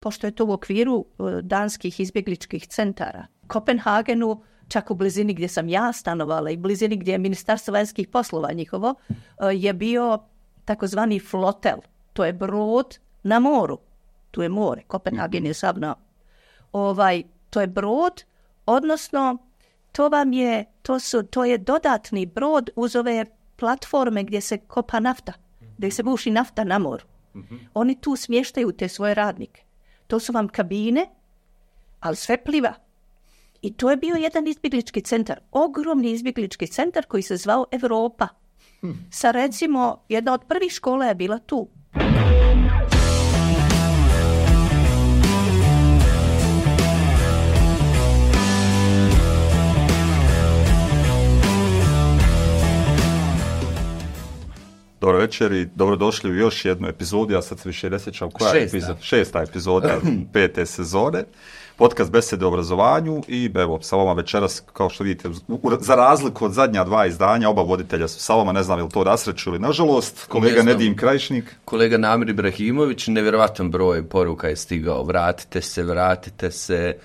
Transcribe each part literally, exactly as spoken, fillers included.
pošto je to u okviru danskih izbjegličkih centara. Kopenhagenu, čak u blizini gdje sam ja stanovala i blizini gdje je Ministarstvo vanjskih poslova njihovo, je bio takozvani flotel. To je brod na moru. Tu je more. Kopenhagen je sav na... Ovaj, to je brod, odnosno to vam je, to su, to je dodatni brod uz ove platforme gdje se kopa nafta, gdje se buši nafta na moru. Oni tu smještaju te svoje radnike. To su vam kabine, ali sve pliva. I to je bio jedan izbjeglički centar, ogromni izbjeglički centar koji se zvao Europa. Sa recimo, jedna od prvih škola je bila tu. Dobro večer i dobrodošli u još jednu epizodu, ja sad se više ne sjećam koja je epizoda, šesta epizoda pete sezone, podcast Besede o obrazovanju i evo, sa vama večeras, kao što vidite, za razliku od zadnja dva izdanja, oba voditelja su sa vama, ne znam je li to rasreću ili nažalost, kolega Nedim Krajišnik. Kolega Namir Ibrahimović, nevjerovatan broj poruka je stigao, vratite se, vratite se,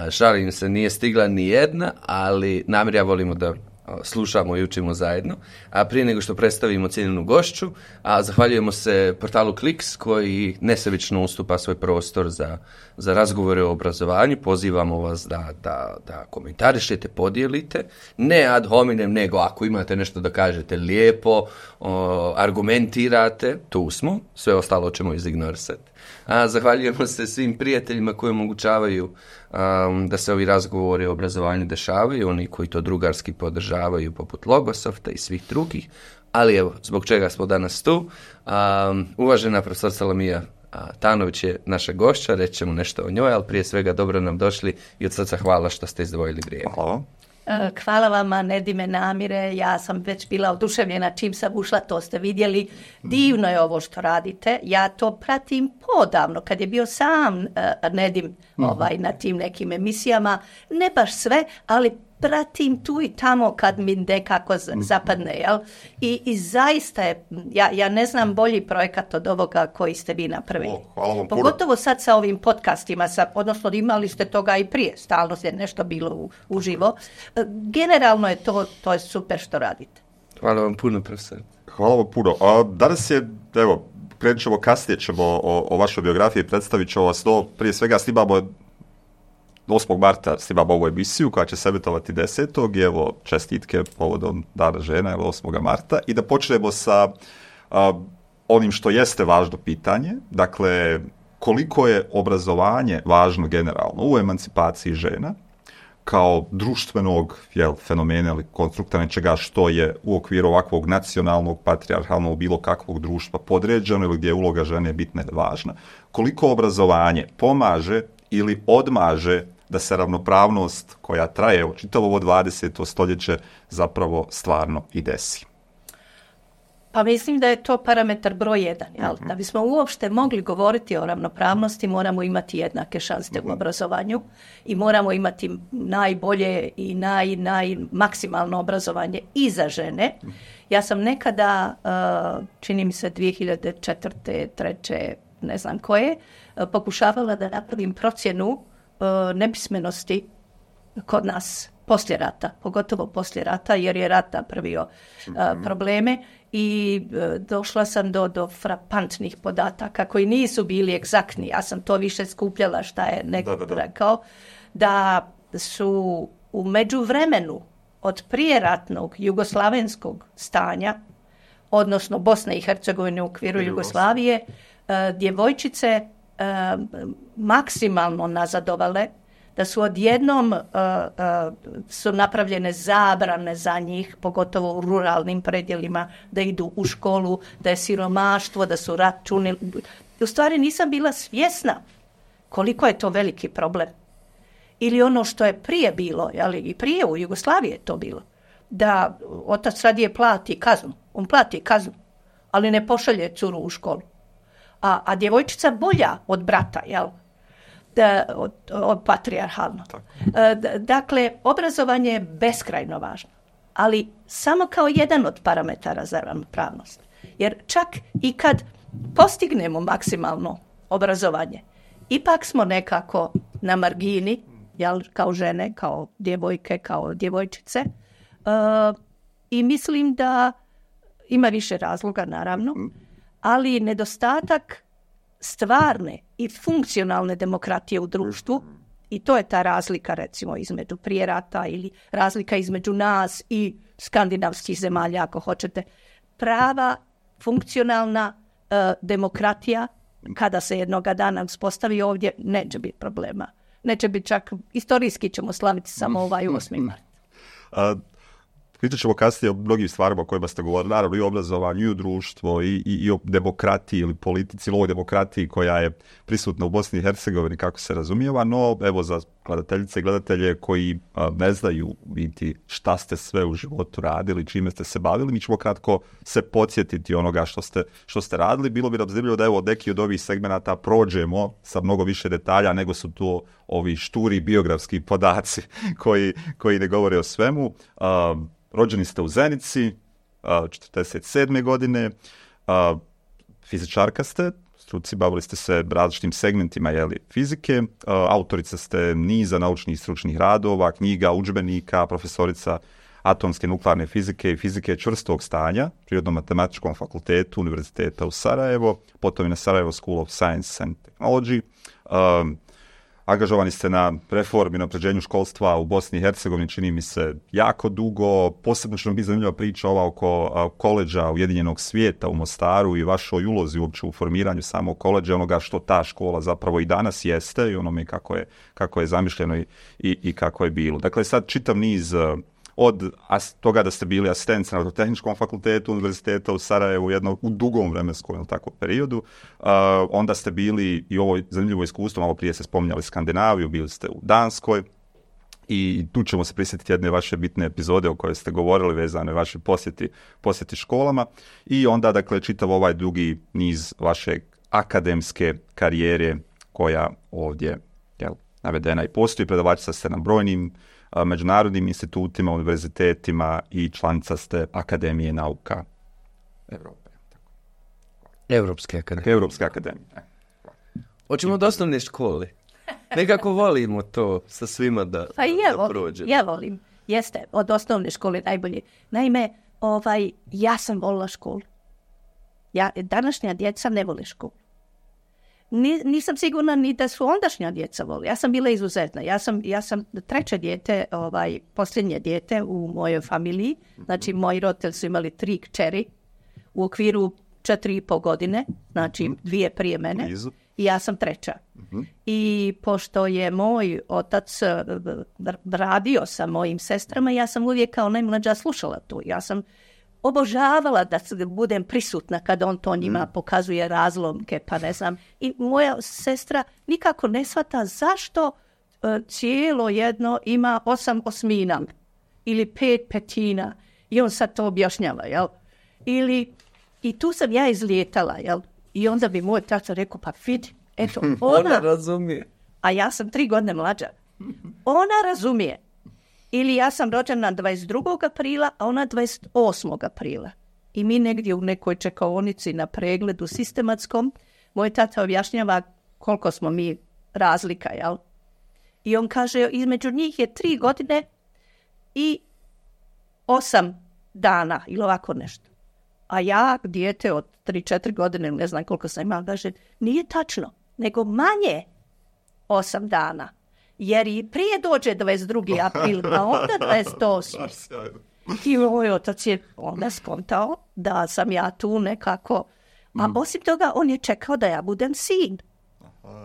žalim se, nije stigla ni jedna, ali Namir ja volimo da slušamo i učimo zajedno. A prije nego što predstavimo cijenjenu gošću, a zahvaljujemo se portalu Kliks koji nesebično ustupa svoj prostor za, za razgovore o obrazovanju. Pozivamo vas da, da, da komentarišete, podijelite. Ne ad hominem, nego ako imate nešto da kažete lijepo, o, argumentirate, tu smo. Sve ostalo ćemo izignorisati. A zahvaljujemo se svim prijateljima koji omogućavaju um, da se ovi razgovori o obrazovanju dešavaju, oni koji to drugarski podržavaju poput Logosofta i svih drugih, ali evo, zbog čega smo danas tu. Um, uvažena profesor Salamija Tanović je naša gošća, reći ćemo nešto o njoj, ali prije svega dobro nam došli i od srca hvala što ste izdvojili vrijeme. Hvala. Hvala vama, Nedime Namire, ja sam već bila oduševljena čim sam ušla, to ste vidjeli. Divno je ovo što radite, ja to pratim podavno, kad je bio sam uh, Nedim ovaj, na tim nekim emisijama, ne baš sve, ali pratim tu i tamo kad mi nekako zapadne, jel? I, i zaista je, ja, ja ne znam bolji projekat od ovoga koji ste vi napravili. O, hvala vam puno. Pogotovo sad sa ovim podcastima, sa, odnosno imali ste toga i prije, stalno je nešto bilo u, uživo. Generalno je to, to je super što radite. Hvala vam puno, profesor. Hvala vam puno. A danas je, evo, krenut ćemo kasnije, ćemo o, o vašoj biografiji, predstavit ćemo vas to, prije svega snimamo osmog marta snimamo ovu emisiju koja će se emitovati desetog i evo čestitke povodom Dana žena, evo osmog marta i da počnemo sa a, onim što jeste važno pitanje, dakle koliko je obrazovanje važno generalno u emancipaciji žena kao društvenog jel, fenomena ili konstrukta nečega što je u okviru ovakvog nacionalnog, patrijarhalnog, bilo kakvog društva podređeno ili gdje je uloga žene bitna i važna. Koliko obrazovanje pomaže ili odmaže da se ravnopravnost koja traje u čitavo ovo dvadeseto stoljeće zapravo stvarno i desi? Pa mislim da je to parametar broj jedan. Jel? Da bismo uopšte mogli govoriti o ravnopravnosti, moramo imati jednake šanse u obrazovanju i moramo imati najbolje i naj, naj, maksimalno obrazovanje i za žene. Ja sam nekada, čini mi se dvije hiljade četvrte, treće, ne znam koje, pokušavala da napravim procjenu nepismenosti kod nas poslije rata, pogotovo poslije rata, jer je rat napravio mm-hmm. probleme i došla sam do, do frapantnih podataka koji nisu bili egzaktni. Ja sam to više skupljala šta je neko da, da, da. rekao, da su u međuvremenu od prijeratnog jugoslavenskog stanja, odnosno Bosne i Hercegovine u okviru Jugoslavije, djevojčice maksimalno nazadovale, da su odjednom uh, uh, su napravljene zabrane za njih, pogotovo u ruralnim predjelima, da idu u školu, da je siromaštvo, da su računi. U stvari nisam bila svjesna koliko je to veliki problem. Ili ono što je prije bilo, ali i prije u Jugoslaviji je to bilo, da otac radije plati kaznu, on plati kaznu, ali ne pošalje curu u školu. A, a djevojčica bolja od brata, jel? Da, od, od patrijarhalno. D- dakle, obrazovanje je beskrajno važno, ali samo kao jedan od parametara za ravnopravnost. Jer čak i kad postignemo maksimalno obrazovanje, ipak smo nekako na margini, jel, kao žene, kao djevojke, kao djevojčice. Uh, I mislim da ima više razloga, naravno, ali nedostatak stvarne i funkcionalne demokratije u društvu, i to je ta razlika, recimo, između prije rata ili razlika između nas i skandinavskih zemalja, ako hoćete. Prava, funkcionalna uh, demokratija, kada se jednoga dana uspostavi ovdje, neće biti problema. Neće biti čak, istorijski ćemo slaviti samo ovaj osmi mart. A, pričat ćemo kasnije o mnogim stvarima o kojima ste govorili, naravno i o obrazovanju, i o društvu, i, i, i o demokratiji ili politici, ili ovoj demokratiji koja je prisutna u Bosni i Hercegovini, kako se razumijeva, no evo za gledateljice i gledatelje koji a, ne znaju biti šta ste sve u životu radili, čime ste se bavili, mi ćemo kratko se podsjetiti onoga što ste, što ste radili. Bilo bi nam zanimljivo da evo neki od ovih segmenata prođemo sa mnogo više detalja nego su to ovi šturi biografski podaci koji, koji ne govore o svemu. A, rođeni ste u Zenici, četrdeset sedme godine, fizičarka ste, struci, bavili ste se različitim segmentima jeli, fizike, autorica ste niza naučnih i stručnih radova, knjiga, udžbenika, profesorica atomske nuklearne fizike i fizike čvrstog stanja, Prirodno-matematičkom fakultetu Univerziteta u Sarajevo, potom i na Sarajevo School of Science and Technology. Um, Angažovani ste na reformi, na unapređenju školstva u Bosni i Hercegovini, čini mi se jako dugo. Posebno što nam bi zanimljiva priča ova oko koleđa Ujedinjenog svijeta u Mostaru i vašoj ulozi uopće u formiranju samog koleđa, onoga što ta škola zapravo i danas jeste i onome kako je, kako je zamišljeno i, i, i kako je bilo. Dakle, sad čitav niz od as, toga da ste bili asistent na Tehničkom fakultetu Univerziteta u Sarajevu jedno, u dugom vremenskom ili tako periodu, uh, onda ste bili i ovo zanimljivo iskustvo, malo prije ste spominjali Skandinaviju, bili ste u Danskoj i tu ćemo se prisjetiti jedne vaše bitne epizode o kojoj ste govorili vezane vaše posjeti, posjeti školama i onda dakle čitav ovaj dugi niz vaše akademske karijere koja ovdje jel, navedena i postoji. Predavačica ste na brojnim međunarodnim institutima, univerzitetima i članica ste Akademije nauka Evrope. Evropske akademije. Evropske akademije. Hoćemo od osnovne škole. Nekako volimo to sa svima da, pa je, da prođemo. Ja volim. Jeste, od osnovne škole najbolje. Naime, ovaj, ja sam volila školu. Ja, današnja djeca ne vole školu. Ni, nisam sigurna ni da su ondašnja djeca voli. Ja sam bila izuzetna. Ja sam, ja sam treće dijete, ovaj, posljednje dijete u mojoj familiji. Znači, moji roditelji su imali tri kćeri u okviru četiri i po godine. Znači, dvije prije mene. I ja sam treća. Uh-huh. I pošto je moj otac radio sa mojim sestrama, ja sam uvijek kao najmlađa slušala tu. Ja sam obožavala da budem prisutna kada on to njima pokazuje razlomke, pa ne znam. I moja sestra nikako ne shvata zašto uh, cijelo jedno ima osam osmina ili pet petina. I on sad to objašnjava, jel? Ili, i tu sam ja izlijetala, jel? I onda bi moj tata rekao, pa vidi, eto, ona... ona razumije. A ja sam tri godine mlađa. Ona razumije. Ili ja sam rođena dvadeset drugog aprila, a ona dvadeset osmog aprila. I mi negdje u nekoj čekaonici na pregledu sistematskom, moj tata objašnjava koliko smo mi razlika, jel? I on kaže, između njih je tri godine i osam dana, ili ovako nešto. A ja, dijete od tri četiri godine, ne znam koliko sam imala, kaže, nije tačno, nego manje osam dana. Jer i prije dođe dvadeset drugi april, a onda dvadeset osmi I moj otac je onda skontao da sam ja tu nekako, a osim toga on je čekao da ja budem sin.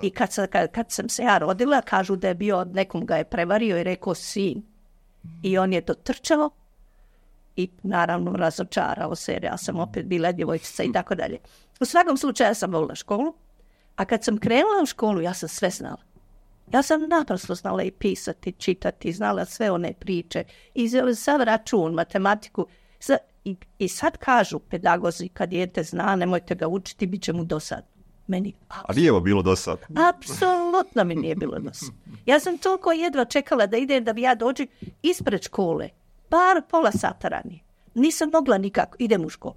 I kad, sam, kad, kad sam se ja rodila, kažu da je bio, nekom ga je prevario i rekao sin. I on je dotrčao i naravno razočarao se jer ja sam opet bila djevojčica i tako dalje. U svakom slučaju ja sam volila školu, a kad sam krenula u školu ja sam sve znala. Ja sam naprosto znala i pisati, čitati, znala sve one priče, i sav račun, matematiku. I, I sad kažu pedagozi, kad dijete zna, nemojte ga učiti, bit će mu dosadno. Meni, a nije vam bilo dosadno? Apsolutno mi nije bilo dosadno. Ja sam toliko jedva čekala da idem da bi ja dođem ispred škole, bar pola sata ranije. Nisam mogla nikako, idem u školu.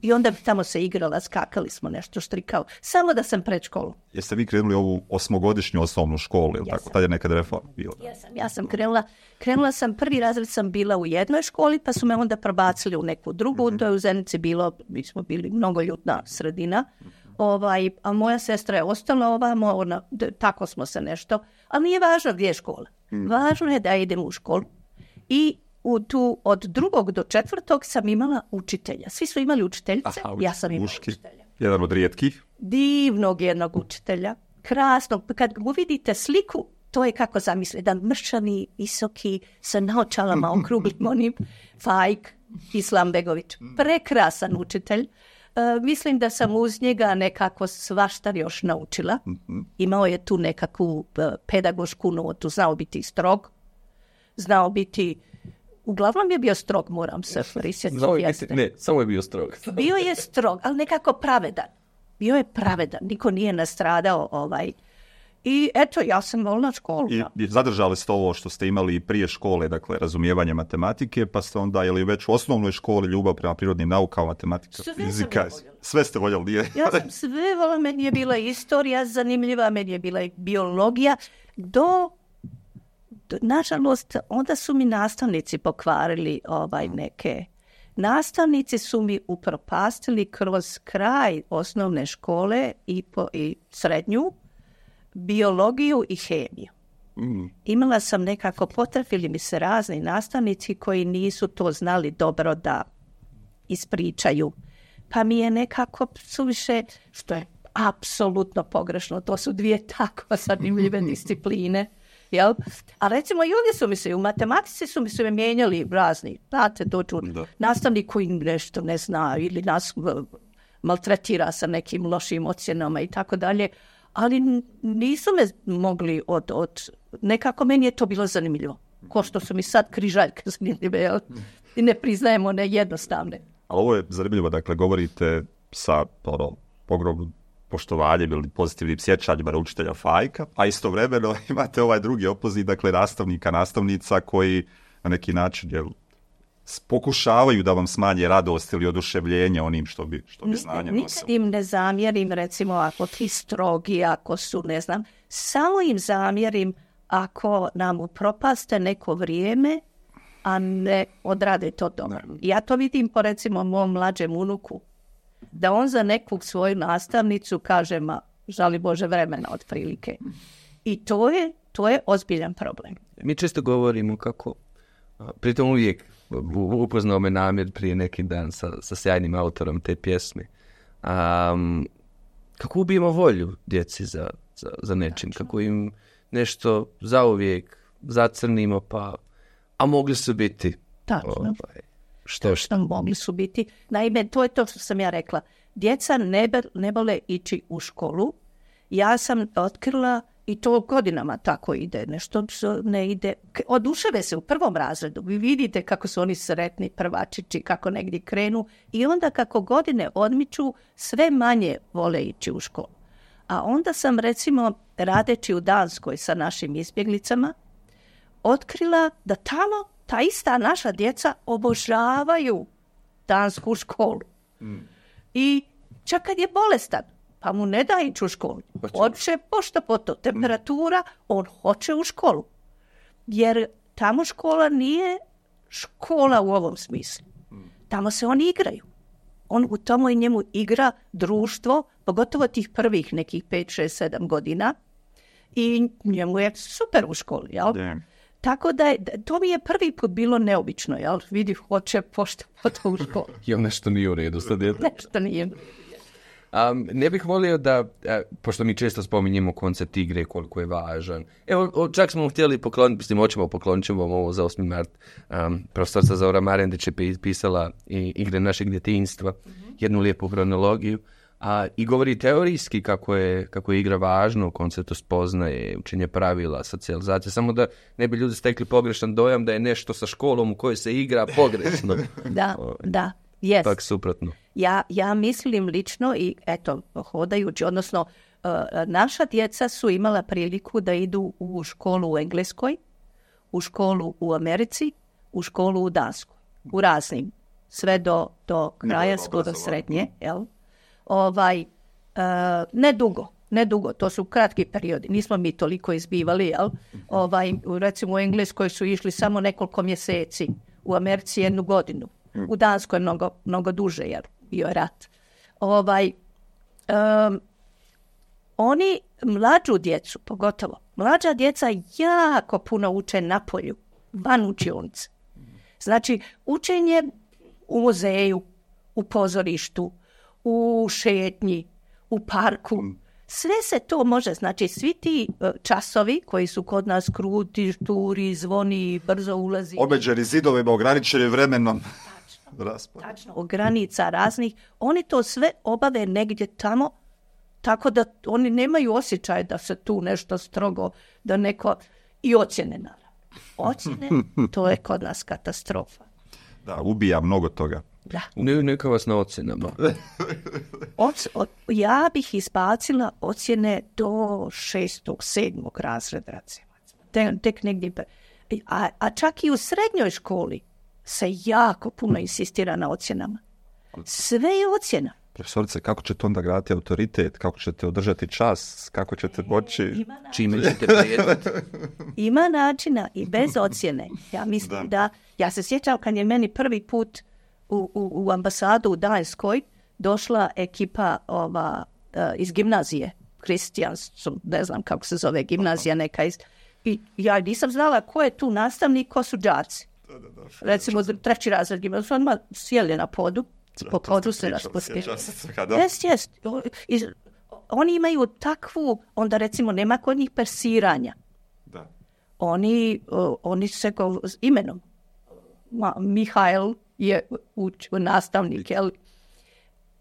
I onda bi tamo se igrala, skakali smo nešto, štrikao. Samo da sam pred školu. Jeste vi krenuli ovu osmogodišnju osnovnu školu, ili tako? Tad je nekad reforma bila. Ja sam, ja sam krenula, krenula sam, prvi razred sam bila u jednoj školi, pa su me onda prebacili u neku drugu, mm-hmm. to je u Zenici bilo, mi smo bili mnogoljudna sredina, ovaj, a moja sestra je ostala ovamo, ona, d- tako smo se nešto, ali nije važno gdje je škola. Mm. Važno je da idem u školu. I u tu, od drugog do četvrtog sam imala učitelja. Svi su imali učiteljice, Aha, ja sam imala muški. učitelja. Jedan od rijetkih. Divnog jednog učitelja, krasnog. Kad uvidite sliku, to je kako zamisli, jedan mršani, visoki, sa naočalama okruglim onim, Fajk Islambegović. Prekrasan učitelj. E, mislim da sam uz njega nekako svašta još naučila. Imao je tu nekakvu e, pedagošku notu, znao biti strog, znao biti, uglavnom je bio strog, moram se prisjetiti. Ne, samo je bio strog. Bio je strog, ali nekako pravedan. Bio je pravedan, niko nije nastradao. Ovaj. I eto, ja sam volila školu. I, I zadržali ste ovo što ste imali i prije škole, dakle, razumijevanje matematike, pa ste onda, je li već u osnovnoj školi ljubav prema prirodnim naukama, matematika, sve fizika, sve ste voljeli, nije? Ja sam sve voljela, meni je bila istorija zanimljiva, meni je bila i biologija, do, do nažalost, onda su mi nastavnici pokvarili ovaj neke. Nastavnici su mi upropastili kroz kraj osnovne škole i, po, i srednju, biologiju i hemiju. Mm. Imala sam nekako, potrefili mi se razni nastavnici koji nisu to znali dobro da ispričaju. Pa mi je nekako suviše, što je apsolutno pogrešno, to su dvije tako zanimljive discipline. Jel? A recimo i ovdje su mi se, u matematici su mi se mijenjali razni, znate, dođu nastavnik koji nešto ne zna ili nas maltretira sa nekim lošim ocjenama i tako dalje, ali nisu me mogli od, od, nekako meni je to bilo zanimljivo. Ko što su mi sad križaljke zanimljive, jel? I ne priznajemo one jednostavne. Ali ovo je zanimljivo, dakle, govorite sa ono, ogromnim poštovanjem ili pozitivnim sjećanjima na učitelja Fajka, a istovremeno imate ovaj drugi opoziv, dakle, nastavnika, nastavnica koji na neki način jel, pokušavaju da vam smanje radost ili oduševljenje onim što bi, što bi znanje nosilo. Nikad im ne zamjerim, recimo, ako ti strogi, ako su, ne znam, samo im zamjerim ako nam upropaste neko vrijeme, a ne odrade to dobro. Ne. Ja to vidim po, recimo, mom mlađem unuku, da on za neku svoju nastavnicu kaže, ma, žali Bože vremena otprilike. I to je, to je ozbiljan problem. Mi često govorimo kako, pritom uvijek upoznao me Namir prije neki dan sa, sa sjajnim autorom te pjesme, um, kako ubijemo volju djeci za, za, za nečim, kako im nešto zauvijek zacrnimo, pa, a mogli su biti. Tačno. Ovaj, što što? Mogli su biti. Naime, to je to što sam ja rekla. Djeca ne, be, ne vole ići u školu. Ja sam otkrila, i to godinama tako ide, nešto ne ide. Oduševe se u prvom razredu. Vi vidite kako su oni sretni prvačići, kako negdje krenu. I onda kako godine odmiču, sve manje vole ići u školu. A onda sam, recimo, radeći u Danskoj sa našim izbjeglicama, otkrila da tamo ta ista naša djeca obožavaju dansku školu. Mm. I čak kad je bolestan, pa mu ne da ići u školu. Hoće pošto po to. Temperatura, on hoće u školu. Jer tamo škola nije škola u ovom smislu. Tamo se oni igraju. On u tomu i njemu igra društvo, pogotovo tih prvih nekih pet, šest, sedam godina. I njemu je super u školi, jel? Yeah. Tako da je, to mi je prvi put bilo neobično, jel? Vidi, hoće pošto po to u školu. Jel nešto nije u redu sa djetom? Nešto nije. Um, ne bih volio da, a, pošto mi često spominjemo koncept igre, koliko je važan. Evo, o, čak smo htjeli pokloniti, mislim, hoćemo pokloniti ćemo ovo za osmi mart. Um, profesorca Zora Marendić je pisala i igre našeg djetinjstva, mm-hmm. jednu lijepu hronologiju. A, i govori teorijski kako je, kako je igra važna u konceptu spoznaje, učenje pravila, socijalizacije, samo da ne bi ljudi stekli pogrešan dojam da je nešto sa školom u kojoj se igra pogrešno. Da, o, da, jest. Tak suprotno. Ja, ja mislim lično i eto, hodajući, odnosno uh, naša djeca su imala priliku da idu u školu u Engleskoj, u školu u Americi, u školu u Danskoj, u raznim sve do, do kraja, skoro srednje, jel? Ovaj, uh, ne dugo, ne dugo, to su kratki periodi, nismo mi toliko izbivali, jel? Ovaj, recimo u Engleskoj su išli samo nekoliko mjeseci, u Americi jednu godinu, u Danskoj je mnogo, mnogo duže, jer bio je rat. Ovaj, um, oni mlađu djecu, pogotovo, mlađa djeca jako puno uče na polju, van učionice. Znači, učenje u muzeju, u pozorištu, u šetnji, u parku, sve se to može, znači svi ti časovi koji su kod nas kruti, šturi, zvoni, brzo ulazi. Omeđeni zidovima, ograničeni vremenom. Tačno, tačno, o granica raznih, oni to sve obave negdje tamo, tako da oni nemaju osjećaj da se tu nešto strogo, da neko, i ocjene naravno. Ocjene, to je kod nas katastrofa. Da, ubija mnogo toga. Da. Ne, neka vas na ocjenama. Oc, o, ja bih izbacila ocjene do šestog, sedmog razreda, recimo. Te, tek negdje. A, a čak i u srednjoj školi se jako puno insistira na ocjenama. Sve je ocjena. Profesorice, kako ćete onda graditi autoritet? Kako ćete održati čas? Kako ćete moći? Čime ćete prijetiti? Ima načina i bez ocjene. Ja mislim da. da, ja se sjećam kad je meni prvi put u, u, u ambasadu u Danskoj došla ekipa ova, uh, iz gimnazije. Kristijansu, ne znam kako se zove gimnazija neka iz... I ja nisam znala ko je tu nastavnik, ko su đaci. Da, da, da, recimo treći razred gimnazije, su odmah sjeli na podu. Po podu se raspustili. Jest, jest. Oni imaju takvu, onda recimo nema kod njih persiranja. Da. Oni, uh, oni se go s imenom. Ma, Mihael je uč, nastavnik. Jel?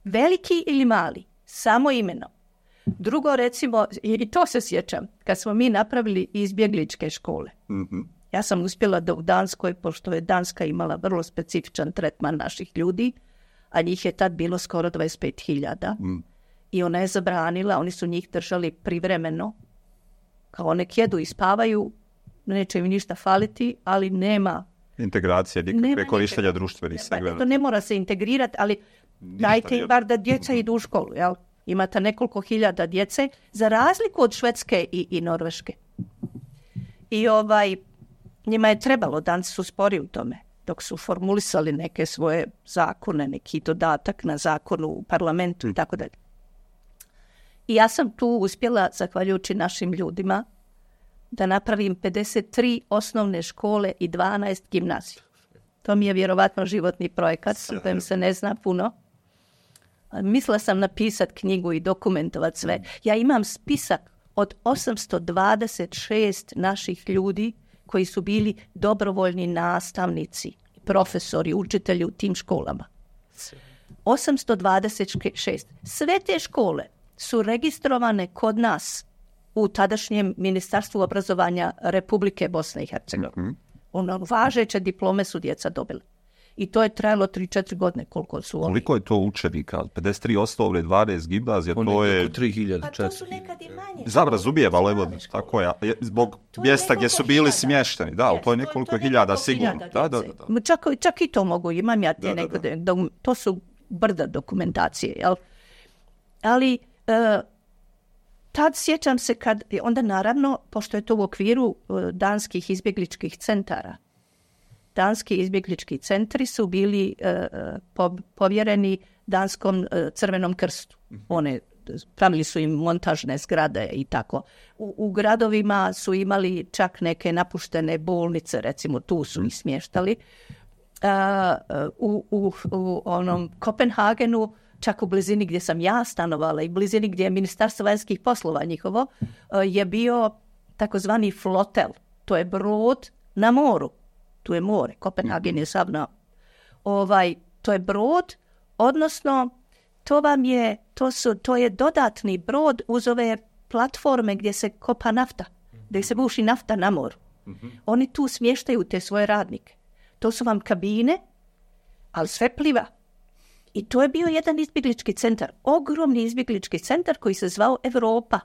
Veliki ili mali, samo imenom. Drugo recimo, i to se sjećam, kad smo mi napravili izbjegličke škole. Mm-hmm. Ja sam uspjela da u Danskoj, pošto je Danska imala vrlo specifičan tretman naših ljudi, a njih je tad bilo skoro dvadeset pet hiljada. Mm. I ona je zabranila, oni su njih držali privremeno, kao nek jedu i spavaju, neće im ništa faliti, ali nema... Integracija, nikakve korištenja društvenih segmenata. To ne mora se integrirati, ali dajte im bar da djeca idu u školu, jel? Imate nekoliko hiljada djece, za razliku od Švedske i, i Norveške. I ovaj, njima je trebalo, Danci su spori u tome, dok su formulisali neke svoje zakone, neki dodatak na zakonu u parlamentu i tako dalje. I ja sam tu uspjela, zahvaljujući našim ljudima, da napravim pedeset tri osnovne škole i dvanaest gimnazija. To mi je vjerovatno životni projekat, o kojem se ne zna puno. Mislila sam napisati knjigu i dokumentovati sve. Ja imam spisak od osamsto dvadeset šest naših ljudi koji su bili dobrovoljni nastavnici, profesori, učitelji u tim školama. osamsto dvadeset šest. Sve te škole su registrovane kod nas u tadašnjem Ministarstvu obrazovanja Republike Bosne i Hercegovine. Mm-hmm. Ono, važeće diplome su djeca dobili. I to je trajalo tri četiri godine koliko su oni. Koliko je to učenika? pedeset tri osnovne, dvanaest gimnazija, to je... tri hiljade. Pa to su nekad i manje. Zabrazumijeva, ali evo, tako je. Zbog mjesta gdje su bili smješteni. Da, yes, to je nekoliko to je, to hiljada sigurno. Da, da, da, da. Čak, čak i to mogu, imam ja te neko, da, da. To su brda dokumentacije, jel? Ali... Uh, tad sjećam se kad, onda naravno, pošto je to u okviru uh, danskih izbjegličkih centara, danski izbjeglički centri su bili uh, po, povjereni Danskom uh, Crvenom krstu. One, pravili su im montažne zgrade i tako. U, u gradovima su imali čak neke napuštene bolnice, recimo tu su ih smještali. Uh, u, u, u onom Kopenhagenu, čak u blizini gdje sam ja stanovala i blizini gdje je Ministarstvo vanjskih poslova njihovo, je bio takozvani flotel. To je brod na moru. Tu je more. Kopenhagen je sav na... Ovaj, to je brod, odnosno to vam je, to su, to je dodatni brod uz ove platforme gdje se kopa nafta, gdje se buši nafta na moru. Oni tu smještaju te svoje radnike. To su vam kabine, ali sve pliva. I to je bio jedan izbjeglički centar, ogromni izbjeglički centar koji se zvao Europa.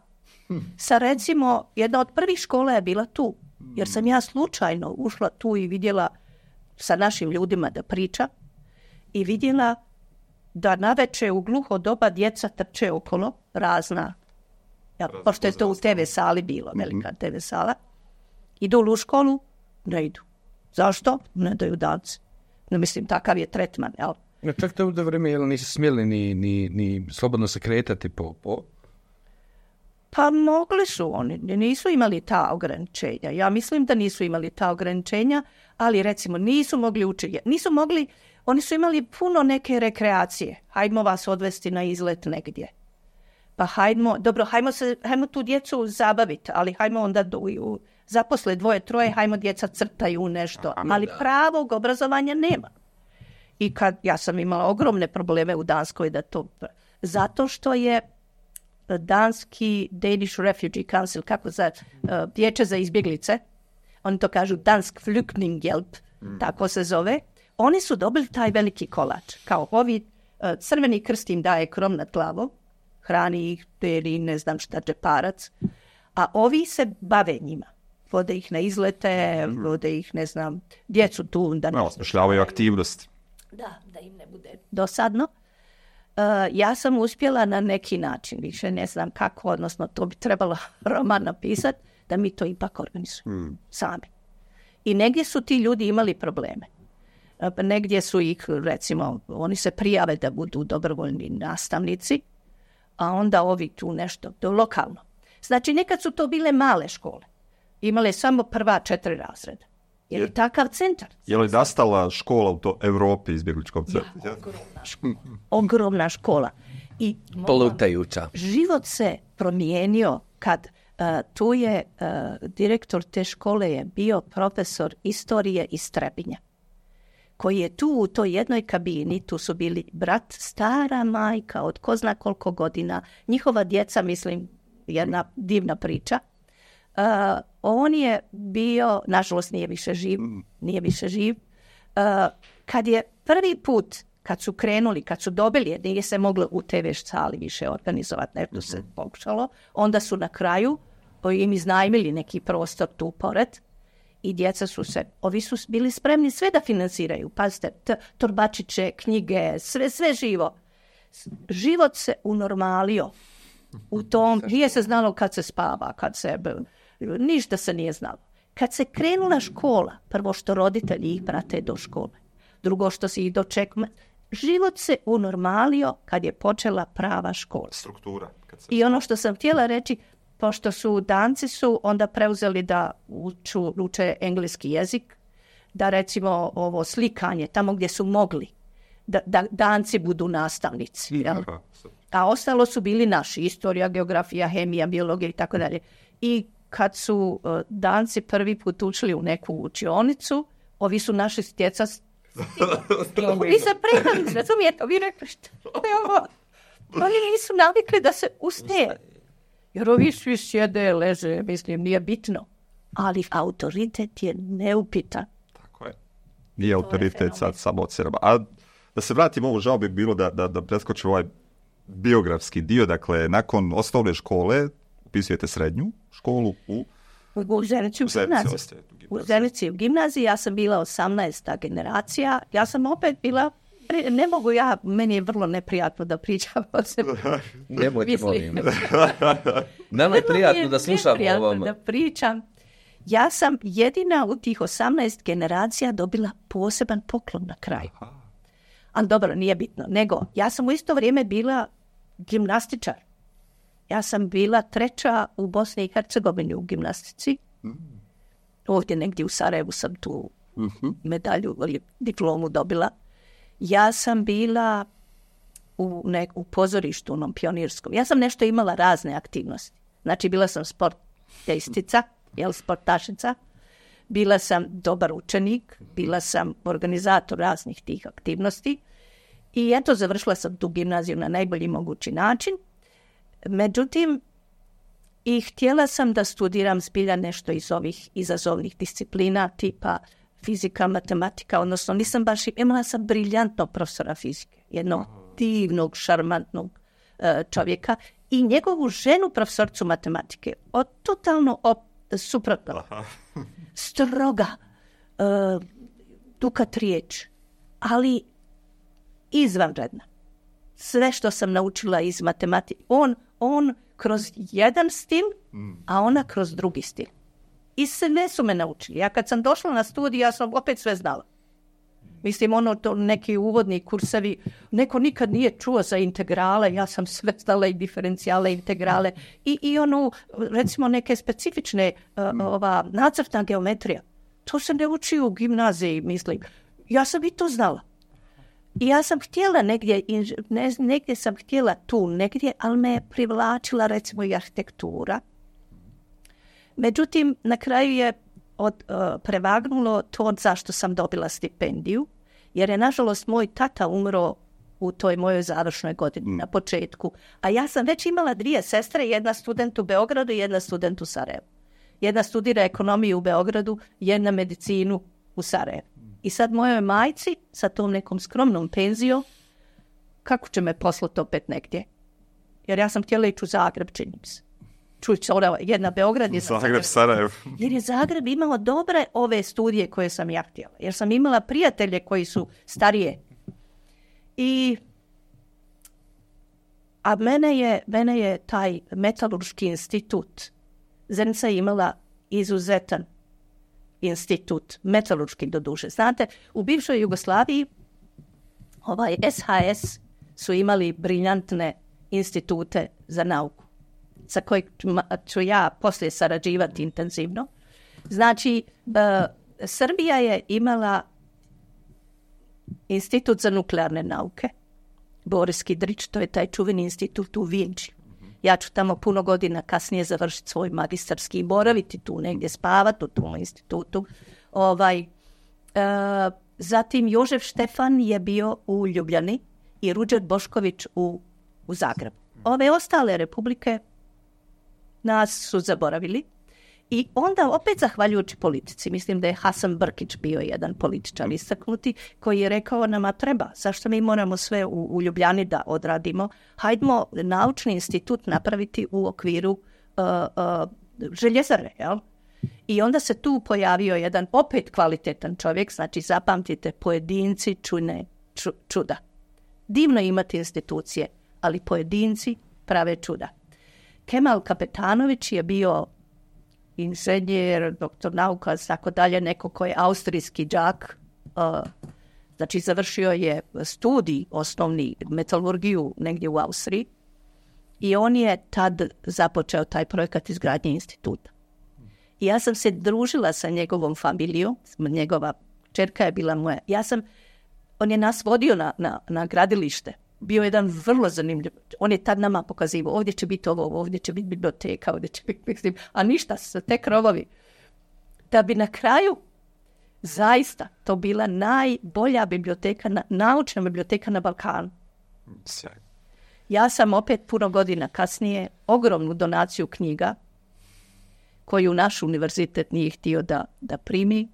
Sa recimo, jedna od prvih škola je bila tu, jer sam ja slučajno ušla tu i vidjela sa našim ljudima da priča. i vidjela da naveče u gluho doba djeca trče okolo, razna, ja, pošto je to u te ve sali bilo, velika te ve sala, idu u školu, ne idu. Zašto? Ne daju danci. No, mislim, takav je tretman, jel? No, čak to u to vrijeme, jel nisu smjeli ni, ni, ni slobodno se kretati po... po... Pa mogli su oni, nisu imali ta ograničenja. Ja mislim da nisu imali ta ograničenja, ali recimo nisu mogli učiti. Nisu mogli, oni su imali puno neke rekreacije. Hajdemo vas odvesti na izlet negdje. Pa hajdemo, dobro, hajdemo, se, hajdemo tu djecu zabaviti, ali hajdemo onda do, u, zaposle dvoje, troje, hajdemo djeca crtaju nešto. Ali pravog obrazovanja nema. I kad, ja sam imala ogromne probleme u Danskoj da to, zato što je danski Danish Refugee Council, kako za uh, vijeće za izbjeglice, oni to kažu Dansk Flyktinghjälp, mm. tako se zove, oni su dobili taj veliki kolač. Kao ovi uh, Crveni krst im daje krov nad glavom, hrani ih, ili ne znam šta, džeparac, a ovi se bave njima. Vode ih na izlete, mm. vode ih, ne znam, djecu tu. Da no, osmišljavaju aktivnosti. Da, da im ne bude dosadno. Uh, ja sam uspjela na neki način, više ne znam kako, odnosno to bi trebalo roman napisati, da mi to ipak organizujemo mm. sami. I negdje su ti ljudi imali probleme. Uh, negdje su ih, recimo, oni se prijave da budu dobrovoljni nastavnici, a onda ovi tu nešto, to lokalno. Znači, nekad su to bile male škole. Imale samo prva četiri razreda. Je li takav centar? Je li nastala škola u to Europi izbjegličkom centru? Ja, ogromna škola. Ogromna škola. I plutajuća. Život se promijenio kad uh, tu je uh, direktor te škole je bio profesor istorije iz Trebinja, koji je tu u toj jednoj kabini, tu su bili brat, stara majka od ko zna koliko godina, njihova djeca, mislim, jedna divna priča. Uh, on je bio, nažalost nije više živ, nije više živ. Uh, kad je prvi put, kad su krenuli, kad su dobili, jer nije se moglo u te ve sali više organizovati, nešto se pokušalo, onda su na kraju im iznajmili neki prostor tu pored i djeca su se, ovi su bili spremni sve da financiraju, pazite, t- torbačiće, knjige, sve, sve živo. Život se unormalio u tom, nije se znalo kad se spava, kad se... Ništa se nije znalo. Kad se krenula škola, prvo što roditelji ih prate do škole, drugo što se ih dočekuje, život se unormalio kad je počela prava škola. Struktura. Kad se... I ono što sam htjela reći, pošto su Danci su onda preuzeli da uču, uče engleski jezik, da recimo ovo slikanje, tamo gdje su mogli, da, da Danci budu nastavnici. Jel? A ostalo su bili naši, istorija, geografija, hemija, biologija i tako dalje. I kad su uh, Danci prvi put učili u neku učionicu, ovi su naši stjeca... Vi se prekali, razumijete, vi rekli što je ovo? Oni nisu navikli da se ustaje. Jer ovi svi sjede, leže, mislim, nije bitno. Ali autoritet je neupitan. Tako je. Nije autoritet sad samo od sebe. A da se vratimo, ovo žao bi bilo da, da, da preskočimo ovaj biografski dio. Dakle, nakon osnovne škole upisujete srednju školu u... U Zenici u gimnaziji. U Zenici u gimnaziji. Ja sam bila osamnaesta generacija. Ja sam opet bila... Ne mogu ja, meni je vrlo neprijatno da pričam o sebi. Nemojte, molim. Nama je prijatno da slušam o ovom. Da pričam. Ja sam jedina u tih osamnaest generacija dobila poseban poklon na kraju. Ali dobro, nije bitno. Nego, ja sam u isto vrijeme bila gimnastičar. Ja sam bila treća u Bosni i Hercegovini u gimnastici. Ovdje negdje u Sarajevu sam tu medalju ili diplomu dobila. Ja sam bila u, ne, u pozorištu, onom pionirskom. Ja sam nešto imala razne aktivnosti. Znači, bila sam sportistica, jel, sportašica. Bila sam dobar učenik. Bila sam organizator raznih tih aktivnosti. I eto, završila sam tu gimnaziju na najbolji mogući način. Međutim, i htjela sam da studiram zbilja nešto iz ovih izazovnih disciplina, tipa fizika, matematika, odnosno nisam baš, imala sam briljantnog profesora fizike, jednog divnog, šarmantnog uh, čovjeka i njegovu ženu profesorcu matematike, od totalno op, suprotno, stroga, uh, dukat riječ, ali izvanredna. Sve što sam naučila iz matematike, on, on kroz jedan stil, a ona kroz drugi stil. I sve su me naučili. Ja kad sam došla na studij, ja sam opet sve znala. Mislim, ono, to neki uvodni kursevi, neko nikad nije čuo za integrale, ja sam sve znala i diferencijale, integrale i, i ono, recimo, neke specifične uh, ova nacrtna geometrija. To se ne uči u gimnaziji, mislim. Ja sam i to znala. I ja sam htjela negdje, ne, negdje sam htjela tu, negdje, ali me je privlačila, recimo, i arhitektura. Međutim, na kraju je od, uh, prevagnulo to zašto sam dobila stipendiju, jer je, nažalost, moj tata umro u toj mojoj završnoj godini, mm. na početku. A ja sam već imala dvije sestre, jedna student u Beogradu i jedna student u Sarajevu. Jedna studira ekonomiju u Beogradu, jedna medicinu u Sarajevu. I sad mojoj majci, sa tom nekom skromnom penzijom, kako će me poslati opet negdje? Jer ja sam htjela ići u Zagreb, čini mi se. Čuć, jedna Beograd je Zagreb, Sarajev. Jer je Zagreb imao dobre ove studije koje sam ja htjela. Jer sam imala prijatelje koji su starije. I, a mene je, mene je taj metalurški institut, Zenica je imala izuzetan institut, metalurški doduše. Znate, u bivšoj Jugoslaviji ovaj S H S su imali briljantne institute za nauku, sa kojeg ću ja poslije sarađivati intenzivno. Znači, uh, Srbija je imala institut za nuklearne nauke, Boris Kidrić, to je taj čuveni institut u Vinči. Ja ću tamo puno godina kasnije završiti svoj magistarski i boraviti tu, negdje spavati u tom institutu. Ovaj, uh, zatim Jožef Štefan je bio u Ljubljani i Ruđer Bošković u, u Zagrebu. Ove ostale republike nas su zaboravili i onda opet zahvaljujući politici, mislim da je Hasan Brkić bio jedan političar istaknuti koji je rekao nama treba, zašto mi moramo sve u, u Ljubljani da odradimo, hajdemo naučni institut napraviti u okviru uh, uh, željezare, jel? I onda se tu pojavio jedan opet kvalitetan čovjek, znači zapamtite, pojedinci čune ču, čuda. Divno imati institucije, ali pojedinci prave čuda. Kemal Kapetanović je bio inženjer, doktor nauka, tako dalje, neko koji je austrijski đak, uh, znači završio je studij osnovni metalurgiju negdje u Austriji i on je tad započeo taj projekat izgradnje instituta. I ja sam se družila sa njegovom familijom, njegova čerka je bila moja. Ja sam, on je nas vodio na, na, na gradilište. Bio je jedan vrlo zanimljiv. On je tad nama pokazivao, ovdje će biti ovo, ovdje će biti biblioteka, ovdje će biti, mislim, a ništa, te krovovi. Da bi na kraju zaista to bila najbolja biblioteka, naučna biblioteka na Balkanu. Sjajno. Ja sam opet puno godina kasnije ogromnu donaciju knjiga koju naš univerzitet nije htio da, da primi,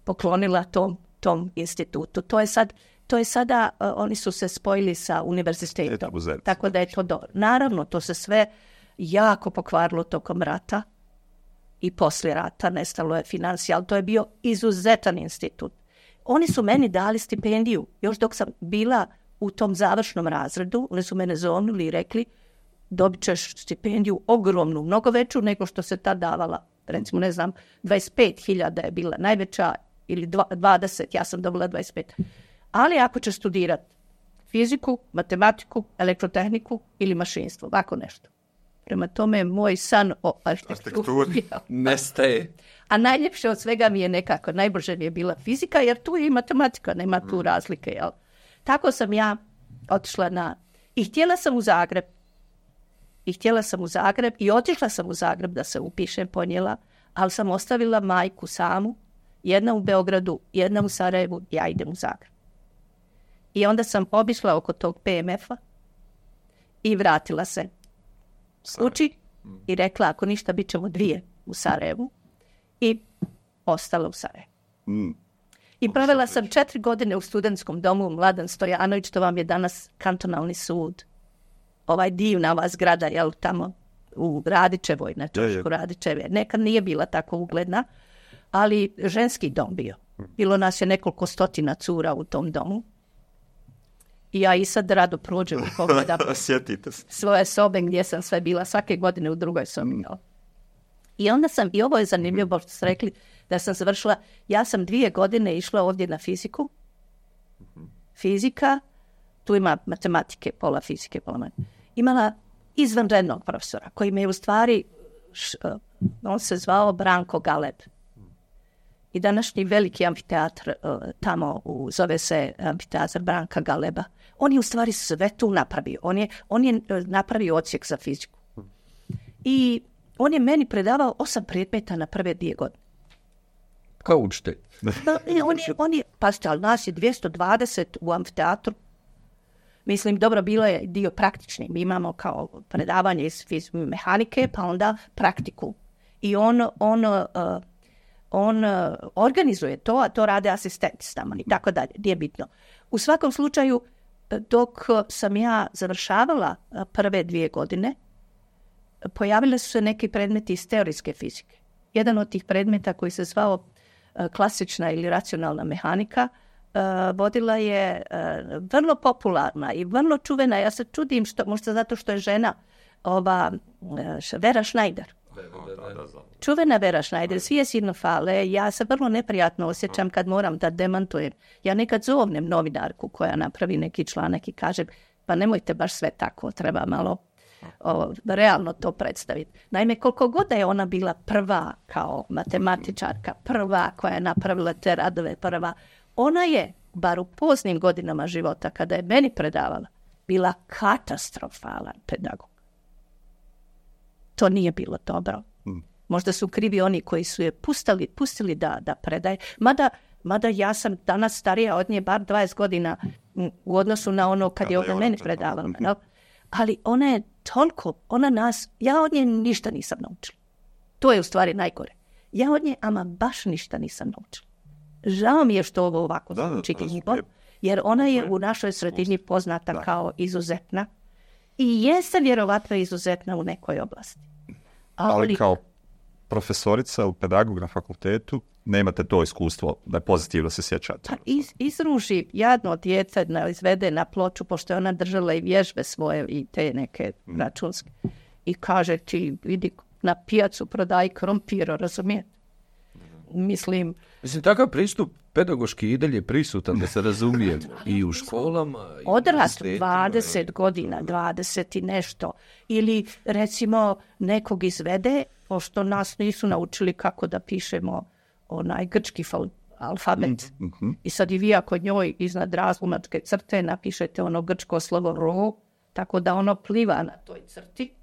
poklonila tom, tom institutu. To je sad To je sada, uh, oni su se spojili sa univerzitetom, tako da je to dobro. Naravno, to se sve jako pokvarilo tokom rata i poslije rata, nestalo je financija, ali to je bio izuzetan institut. Oni su meni dali stipendiju, još dok sam bila u tom završnom razredu, oni su mene zonuli i rekli, dobit ćeš stipendiju ogromnu, mnogo veću nego što se tad davala. Recimo, ne znam, dvadeset pet hiljada je bila najveća ili dvadeset, ja sam dobila dvadeset pet. Ali ako će studirati fiziku, matematiku, elektrotehniku ili mašinstvo, ovako nešto. Prema tome, moj san o arhitekturi nestaje. A najljepše od svega mi je nekako, najbrže mi je bila fizika, jer tu je i matematika, nema tu razlike. Jel? Tako sam ja otišla na... I htjela sam u Zagreb. I htjela sam u Zagreb i otišla sam u Zagreb da se upišem, ponijela, ali sam ostavila majku samu, jedna u Beogradu, jedna u Sarajevu, ja idem u Zagreb. I onda sam obišla oko tog P M F-a i vratila se uči i rekla ako ništa bit ćemo dvije u Sarajevu i ostala u Sarajevu. Mm. I provela sam četiri godine u studentskom domu Mladen Stojanović, to vam je danas kantonalni sud. Ovaj divna ova zgrada, jel, tamo u Radičevoj, na Čošku Radičeve. Nekad nije bila tako ugledna, ali ženski dom bio. Bilo nas je nekoliko stotina cura u tom domu. I ja i sad rado prođem i pogledam Sjetite se. svoje sobe gdje sam sve bila, svake godine u drugoj sobi. I onda sam, i ovo je zanimljivo što ste rekli, da sam završila, ja sam dvije godine išla ovdje na fiziku. Fizika, tu ima matematike, pola fizike, pola matematike. Imala izvanrednog profesora, koji me je u stvari, š, on se zvao Branko Galeb. I današnji veliki amfiteatr tamo, u, zove se amfiteatr Branka Galeba. On je u stvari sve tu napravio. On je, on je napravio odsjek za fiziku. I on je meni predavao osam predmeta na prve dvije godine. Kao učitelj. on je, on je, pazite, ali nas je dvjesto dvadeset u amfiteatru. Mislim, dobro, bilo je dio praktični. Mi imamo kao predavanje iz fizike mehanike, pa onda praktiku. I on, on, uh, on uh, organizuje to, a to rade asistenti s nama i tako dalje. Nije bitno. U svakom slučaju, dok sam ja završavala prve dvije godine, pojavile su se neki predmeti iz teorijske fizike. Jedan od tih predmeta koji se zvao uh, klasična ili racionalna mehanika, Uh, vodila je uh, vrlo popularna i vrlo čuvena. Ja se čudim, što, možda zato što je žena ova uh, Vera Schneider. Čuvena Vera Schneider, svi je silno fale. Ja se vrlo neprijatno osjećam kad moram da demantujem. Ja nekad zovnem novinarku koja napravi neki članak i kaže, pa nemojte baš sve tako, treba malo o, realno to predstaviti. Naime, koliko god da je ona bila prva kao matematičarka, prva koja je napravila te radove, prva, ona je, bar u poznim godinama života, kada je meni predavala, bila katastrofalan pedagog. To nije bilo dobro. Možda su krivi oni koji su je pustili, pustili da, da predaje. Mada, mada ja sam danas starija od nje bar dvadeset godina u odnosu na ono kad je ona meni predavala. No? Ali ona je toliko, ona nas, ja od nje ništa nisam naučila. To je u stvari najgore. Ja od nje ama baš ništa nisam naučila. Žao mi je što ovo ovako zvuči, jer ona je u našoj sredini poznata da. kao izuzetna i jeste vjerovatno izuzetna u nekoj oblasti. Ali, Ali kao profesorica u pedagog na fakultetu nemate to iskustvo da je pozitivno se sjećate. Pa iz, izruži jadno djece na, izvede na ploču, pošto je ona držala i vježbe svoje i te neke mm. računske. I kaže ti, vidi, na pijacu prodaj krompir, razumijete? Mislim... Mislim, takav pristup pedagoški i dalje prisutan, da se razumije, i u školama. Odrast dvadeset godina, dvadeset i nešto. Ili, recimo, nekog izvede, pošto nas nisu naučili kako da pišemo onaj grčki alfabet. Mm-hmm. I sad i vi ako njoj iznad razlomačke crte napišete ono grčko slovo ro, tako da ono pliva na toj crti.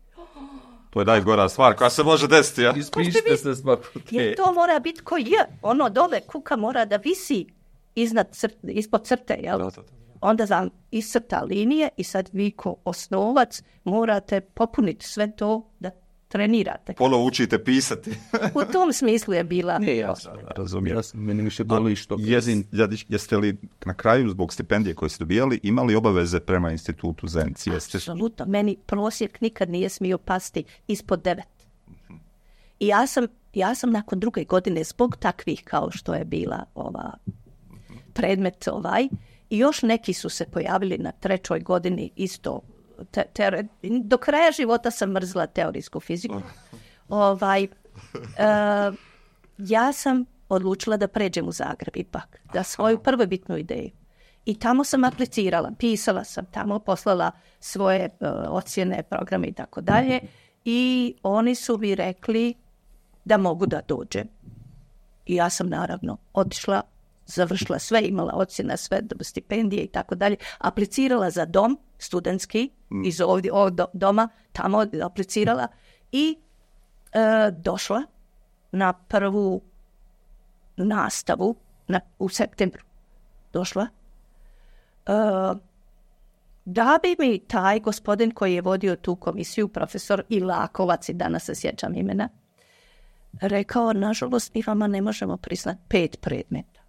To je najgora stvar koja se može desiti, ja? Ispišite se svaku te. Jer to mora biti ko je. Ono dole kuka mora da visi iznad crt, ispod crte, jel? Da, da, da. Onda vam iscrta linije i sad vi ko osnovac morate popuniti sve to da trenirate. Ponovo učite pisati. U tom smislu je bila... Ne, ja razumijem. Ja sam, meni više boli što... Jezin, jeste li na kraju, zbog stipendije koje ste dobijali, imali obaveze prema institutu Zenci? Apsolutno. Meni prosjek nikad nije smio pasti ispod devet. Uh-huh. I ja sam, ja sam nakon druge godine, zbog takvih kao što je bila ova predmet ovaj, i još neki su se pojavili na trećoj godini isto. Te, te, do kraja života sam mrzla teorijsku fiziku. Ovaj, uh, ja sam odlučila da pređem u Zagreb ipak, da svoju prvobitnu ideju. I tamo sam aplicirala, pisala sam tamo, poslala svoje uh, ocjene, programe i tako dalje. I oni su mi rekli da mogu da dođem. I ja sam naravno otišla, završila sve, imala ocjena, sve, stipendije i tako dalje. Aplicirala za dom studentski mm. iz ovdje, ovog doma, tamo aplicirala i e, došla na prvu nastavu na, u septembru. Došla. E, da bi mi taj gospodin koji je vodio tu komisiju, profesor Ilakovac, i danas se sjećam imena, rekao, nažalost, mi vama ne možemo priznati pet predmeta.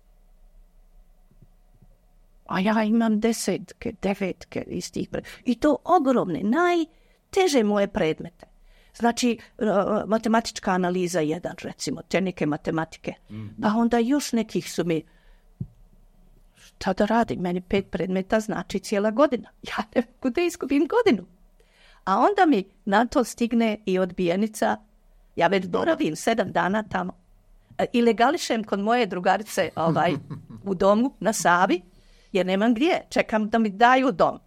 A ja imam desetke, devetke iz tih predmeta. I to ogromne, najteže moje predmete. Znači, uh, matematička analiza jedan, recimo, te neke matematike. Mm-hmm. Pa onda još nekih su mi... šta da radim, meni pet predmeta znači cijela godina. Ja ne mogu da izgubim godinu. A onda mi na to stigne i odbijenica, ja već boravim sedam dana tamo. I legališem kod moje drugarice ovaj, u domu na Savi, jer nemam gdje, čekam da mi daju dom.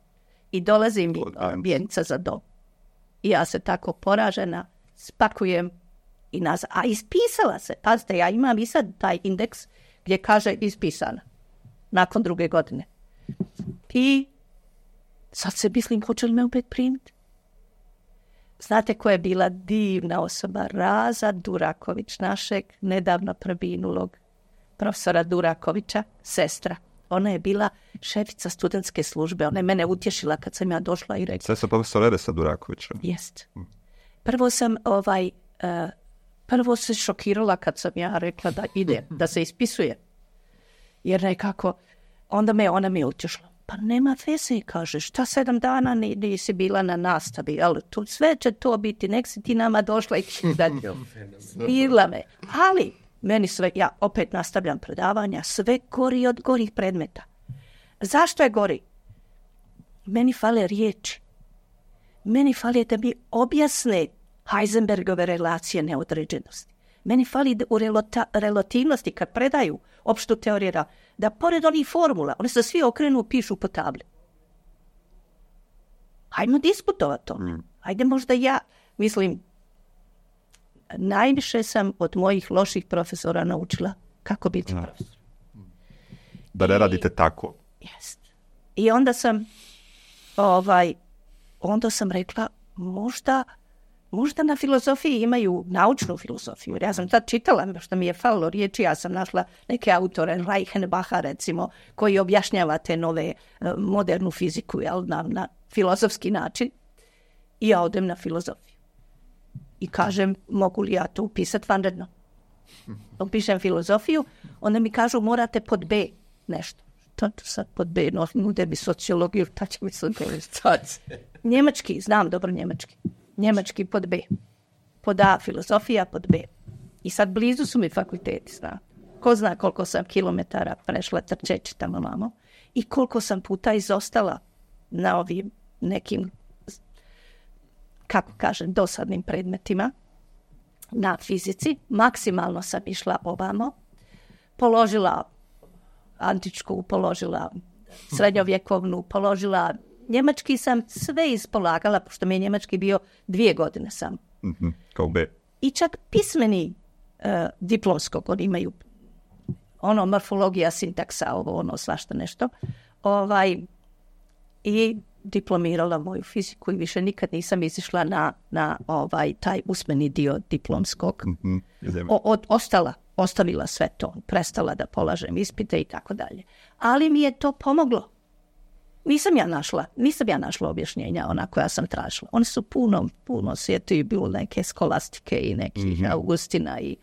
I dolazi mi odbijenica za dom. I ja se tako poražena spakujem i nazad. A ispisala se, pazite, ja imam i sad taj indeks gdje kaže ispisana. Nakon druge godine. I sad se mislim, hoće li me opet primiti? Znate koja je bila divna osoba? Raza Duraković, našeg nedavno preminulog profesora Durakovića, sestra. Ona je bila šefica studentske službe. Ona je mene utješila kad sam ja došla i rekla. Sestra profesora Eresa Durakovića. Jest. Prvo sam ovaj, uh, prvo se šokirala kad sam ja rekla da ide, da se ispisuje. Jer nekako, onda me ona mi utješila. Pa nema veze, kaže, šta sedam dana nisi bila na nastavi, jel? Tu sve će to biti, nek si ti nama došla i bila me. Ali, meni sve, ja opet nastavljam predavanja, sve gori od gorih predmeta. Zašto je gori? Meni fale riječi. Meni fali da mi objasne Heisenbergove relacije neodređenosti. Meni fali u relata, relativnosti, kad predaju opštu teoriju, da pored onih formula, oni se svi okrenu, pišu po tabli. Hajmo diskutovati o tome. Hajde možda ja, mislim, najviše sam od mojih loših profesora naučila kako biti ja. profesor. Da ne radite tako. Jest. I onda sam, ovaj, onda sam rekla, možda, možda na filozofiji imaju naučnu filozofiju. Jer ja sam tad čitala, što mi je falilo riječi, ja sam našla neke autore, Reichenbacha recimo, koji objašnjava te nove modernu fiziku, jel, na, na filozofski način. I ja odem na filozofiju. I kažem, mogu li ja to upisati vanredno? Upišem filozofiju, onda mi kažu, morate pod B nešto. To sad pod B, no, nude mi sociologiju, ta će mi sociologiju. Njemački, znam dobro njemački. Njemački pod B. Pod A filozofija, pod B. I sad blizu su mi fakulteti, zna. Ko zna koliko sam kilometara prešla trčeći tamo mamo i koliko sam puta izostala na ovim nekim, kako kažem, dosadnim predmetima na fizici. Maksimalno sam išla ovamo, položila antičku, položila srednjovjekovnu, položila njemački, sam sve ispolagala, pošto mi je njemački bio dvije godine sam. Mm-hmm, kao B. I čak pismeni uh, diplomskog, oni imaju ono morfologija, sintaksa, ovo, ono, svašta nešto. Ovaj, i diplomirala moju fiziku i više nikad nisam izišla na, na ovaj, taj usmeni dio diplomskog. Mm-hmm, o, od, ostala, ostavila sve to, prestala da polažem ispite i tako dalje. Ali mi je to pomoglo. Nisam ja našla, nisam ja našla objašnjenja ona koja sam tražila. One su puno, puno svijetu i bilo neke skolastike i nekih mm-hmm. Augustina i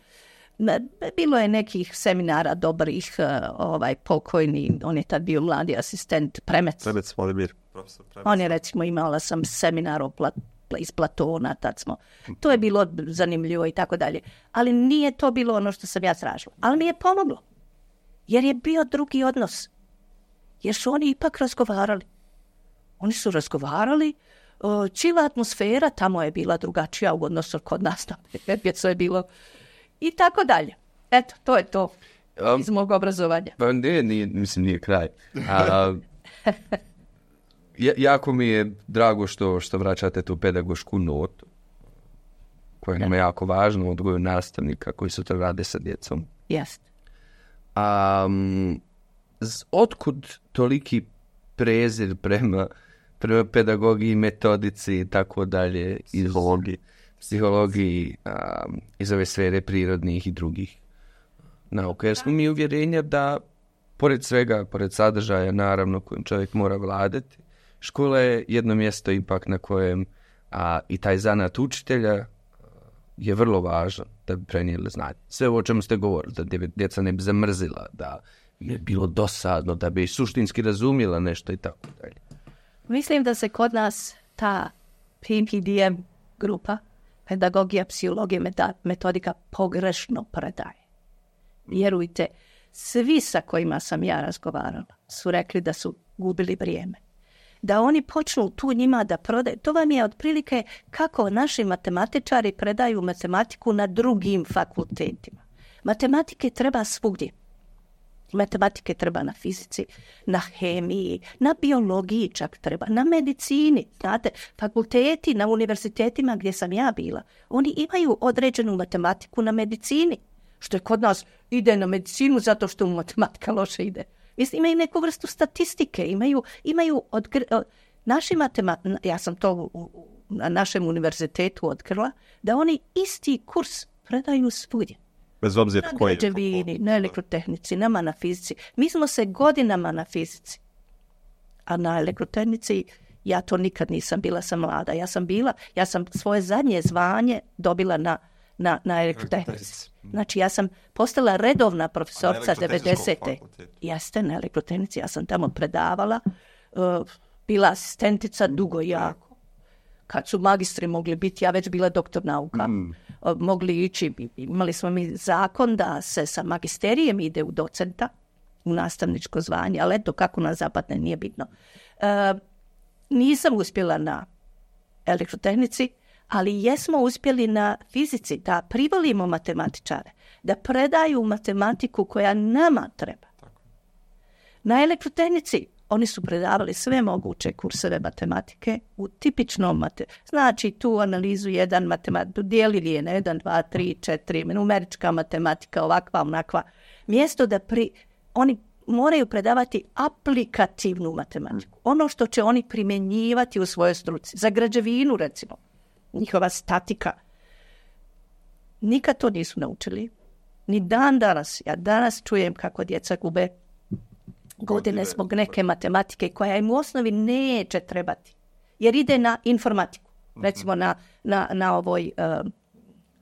bilo je nekih seminara dobrih, ovaj, pokojni, on je tad bio mladi asistent, Premec. Premec, Vladimir, profesor Premec. On je recimo, imala sam seminar o Plat, iz Platona, tad smo. To je bilo zanimljivo i tako dalje. Ali nije to bilo ono što sam ja tražila. Ali mi je pomoglo. Jer je bio drugi odnos. Jer su oni ipak razgovarali. Oni su razgovarali, čila atmosfera, tamo je bila drugačija u odnosu kod nas, to je bilo i tako dalje. Eto, to je to um, iz mog obrazovanja. Pa ne, nije, mislim, nije kraj. A, jako mi je drago što, što vraćate tu pedagošku notu, koja nam je jako važna u odgoju nastavnika koji sutra rade sa djecom. Jeste. Um, otkud toliki prezir prema, prema pedagogiji, metodici i tako dalje, psihologiji, psihologiji um, iz ove sfere prirodnih i drugih nauka? Jer smo mi uvjerenja da, pored svega, pored sadržaja, naravno, kojim čovjek mora vladati, škola je jedno mjesto ipak na kojem a, i taj zanat učitelja je vrlo važan da bi prenijeli znanje. Sve ovo o čemu ste govorili, da djeca ne bi zamrzila, da je bilo dosadno, da bi suštinski razumjela nešto i tako dalje. Mislim da se kod nas ta P P D M grupa, pedagogija, psihologija, metodika, pogrešno predaje. Vjerujte, svi sa kojima sam ja razgovarala, su rekli da su gubili vrijeme. Da oni počnu tu njima da prodaju. To vam je otprilike kako naši matematičari predaju matematiku na drugim fakultetima. Matematike treba svugdje. Matematike treba na fizici, na hemiji, na biologiji čak treba, na medicini. Znate, fakulteti na univerzitetima gdje sam ja bila, oni imaju određenu matematiku na medicini. Što je kod nas ide na medicinu zato što mu matematika loše ide. Mislim, imaju neku vrstu statistike, imaju, imaju odgr... naši matematičari, ja sam to u, u, na našem univerzitetu otkrila, da oni isti kurs predaju svugdje. Bez obzira na koji. građevini, na elektrotehnici, nama na fizici. Mi smo se godinama na fizici, a na elektrotehnici ja to nikad nisam bila, sam mlada. Ja sam bila, ja sam svoje zadnje zvanje dobila na, na, na elektrotehnici. Znači, ja sam postala redovna profesorca devedesete. Jeste, na elektrotehnici. Ja sam tamo predavala, uh, bila asistentica dugo jako. Kad su magistri mogli biti, ja već bila doktor nauka, mm. uh, mogli ići, imali smo mi zakon da se sa magisterijem ide u docenta, u nastavničko zvanje, ali eto kako na zapadne, nije bitno. Uh, nisam uspjela na elektrotehnici, ali jesmo uspjeli na fizici da privolimo matematičare, da predaju matematiku koja nama treba. Tako. Na elektrotehnici oni su predavali sve moguće kurseve matematike u tipičnom matematiku. Znači tu analizu jedan matematiku, dijelili je na jedan, dva, tri, četiri, numerička matematika, ovakva, onakva. Mjesto da pri, oni moraju predavati aplikativnu matematiku. Ono što će oni primjenjivati u svojoj struci. Za građevinu, recimo, njihova statika. Nikad to nisu naučili. Ni dan danas. Ja danas čujem kako djeca gube godine zbog neke matematike koja im u osnovi neće trebati. Jer ide na informatiku. Recimo na, na, na ovoj uh,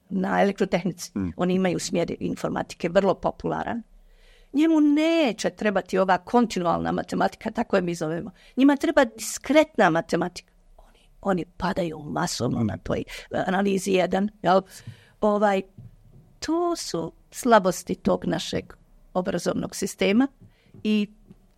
na elektrotehnici. Mm. Oni imaju smjer informatike, vrlo popularan. Njemu neće trebati ova kontinualna matematika, tako je mi zovemo. Njima treba diskretna matematika. Oni, oni padaju masovno na toj analizi jedan. Jel? Ovaj, to su slabosti tog našeg obrazovnog sistema i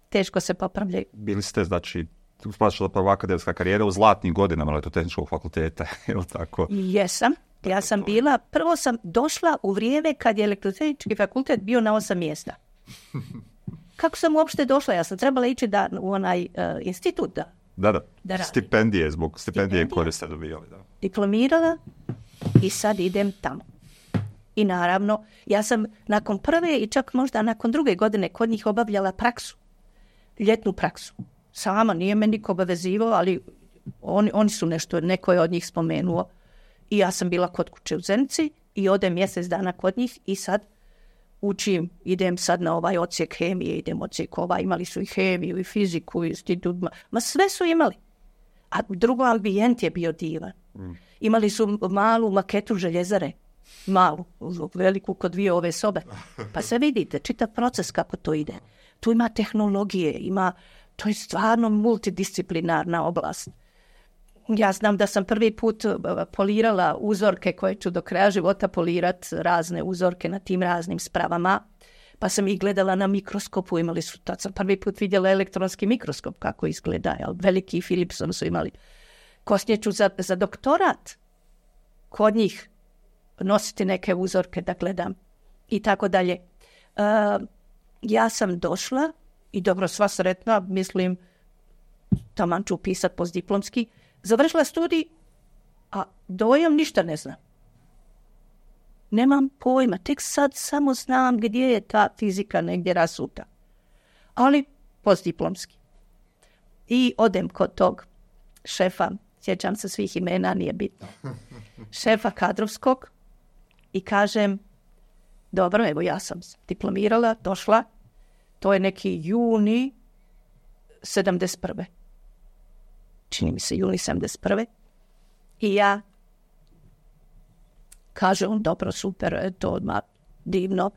teško se popravljaju. Bili ste, znači, splašala prva akademska karijera u zlatnim godinama Elektrotehničkog fakulteta, je li tako? Jesam. Ja sam bila, prvo sam došla u vrijeme kad je Elektrotehnički fakultet bio na osam mjesta. Kako sam uopšte došla? Ja sam trebala ići da, u onaj uh, institut da, da, da. da stipendije, zbog stipendije, stipendije koje ste dobijali. Da. Diplomirala i sad idem tamo. I naravno, ja sam nakon prve i čak možda nakon druge godine kod njih obavljala praksu. Ljetnu praksu. Sama, nije me niko obavezivao, ali oni, oni su nešto, neko je od njih spomenuo. I ja sam bila kod kuće u Zenici i odem mjesec dana kod njih i sad učim, idem sad na ovaj odsjek hemije, idem odsjek ovaj, imali su i hemiju i fiziku i institut, ma, ma sve su imali. A drugo, ambijent je bio divan. Mm. Imali su malu maketu željezare, malu, veliku kod dvije ove sobe. Pa se vidite, čitav proces kako to ide. Tu ima tehnologije, ima, to je stvarno multidisciplinarna oblast. Ja znam da sam prvi put polirala uzorke koje ću do kraja života polirat, razne uzorke na tim raznim spravama, pa sam ih gledala na mikroskopu, imali su, tad sam prvi put vidjela elektronski mikroskop kako izgleda, jel? Veliki Philipson su imali. Kosnije ću za, za doktorat kod njih nositi neke uzorke da gledam i tako dalje. Uh, ja sam došla i dobro, sva sretna, mislim, taman ću upisat postdiplomski, završila studij, a dojam ništa ne znam. Nemam pojma, tek sad samo znam gdje je ta fizika negdje rasuta. Ali postdiplomski. I odem kod tog šefa, sjećam se svih imena, nije bitno, šefa kadrovskog i kažem, dobro, evo ja sam diplomirala, došla, to je neki juni sedamdeset prve. Čini mi se juni sedamdeset prve. I ja, kaže on, dobro, super, to odmah divno.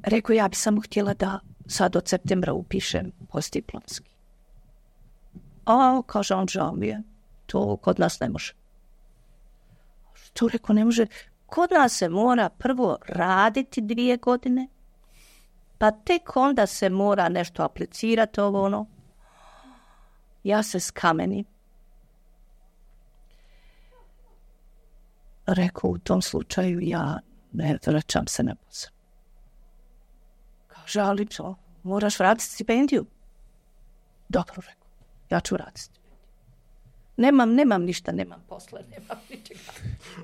Rekao, ja bi samo htjela da sad od septembra upišem postdiplomski. A, kaže on, žao mi je, to kod nas ne može. Što rekao, ne može? Kod nas se mora prvo raditi dvije godine, Pa tek onda se mora nešto aplicirati, ovo ono. Ja se skamenim. Rekao, u tom slučaju ja ne vraćam se na posao. Kaže, ali čo, moraš vratiti stipendiju. Dobro, rekao, ja ću vratiti stipendiju. Nemam, nemam ništa, nemam posla, nemam ničega.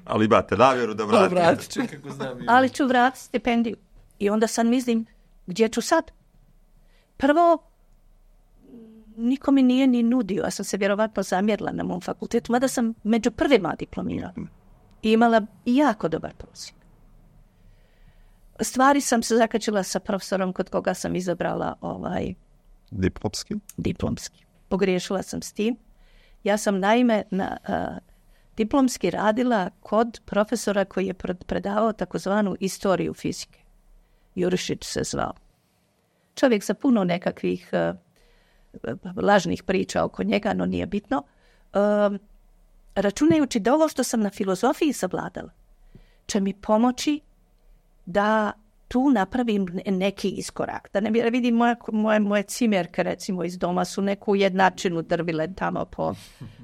Ali imate namjeru da vratite. Vratit ću kako znam. Ali ću vratiti stipendiju. I onda sad mislim, gdje ću sad? Prvo, niko mi nije ni nudio, ja sam se vjerovatno zamjerila na mom fakultetu, mada sam među prvima diplomirala. I imala jako dobar prosjek. Stvari sam se zakačila sa profesorom kod koga sam izabrala ovaj Diplomski? Diplomski. Pogriješila sam s tim. Ja sam naime na uh, diplomski radila kod profesora koji je predavao takozvanu istoriju fizike. Jurišić se zvao. Čovjek sa puno nekakvih uh, lažnih priča oko njega, no nije bitno. Uh, računajući da ovo što sam na filozofiji savladala će mi pomoći da tu napravim neki iskorak. Da ne vidim moje, moje, moje cimerke, recimo, iz doma su neku jednačinu drvile tamo po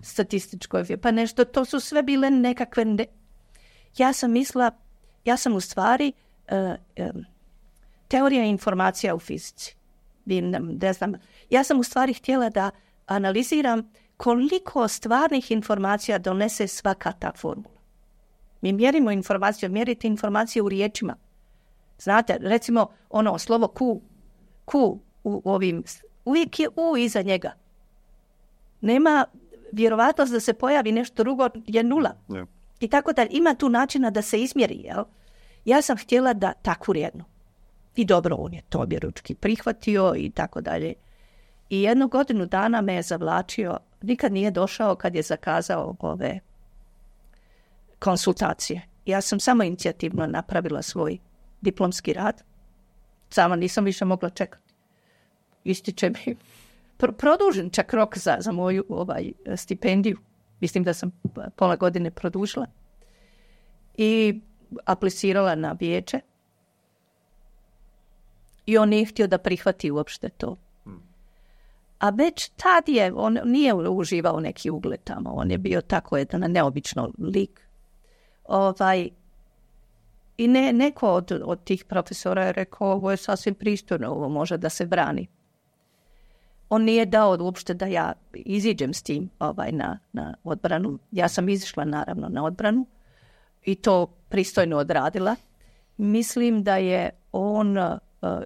statističkoj, pa nešto, to su sve bile nekakve... Ne... Ja sam mislila, ja sam u stvari uh, um, teorija informacija u fizici. Ne znam, ja sam u stvari htjela da analiziram koliko stvarnih informacija donese svaka ta formula. Mi mjerimo informaciju, mjerite informacije u riječima. Znate, recimo ono slovo Q, Q u ovim, uvijek je U iza njega. Nema vjerovatnost da se pojavi nešto drugo, je nula. Yeah. I tako da ima tu načina da se izmjeri, jel? Ja sam htjela da takvu jednu. I dobro, on je to objeručki prihvatio i tako dalje. I jednu godinu dana me je zavlačio, nikad nije došao kad je zakazao ove konsultacije. Ja sam samo inicijativno napravila svoj diplomski rad. Sama nisam više mogla čekati. Ističe mi pro- produžen čak rok za, za moju ovaj, stipendiju. Mislim da sam pola godine produžila. I aplicirala na vijeće. I on nije htio da prihvati uopšte to. A već tad je, on nije uživao neki ugled tamo. On je bio tako jedan neobično lik. Ovaj, I ne, neko od, od tih profesora je rekao, ovo je sasvim pristojno, ovo može da se brani. On nije dao uopšte da ja iziđem s tim ovaj, na, na odbranu. Ja sam izišla naravno na odbranu i to pristojno odradila. Mislim da je on uh,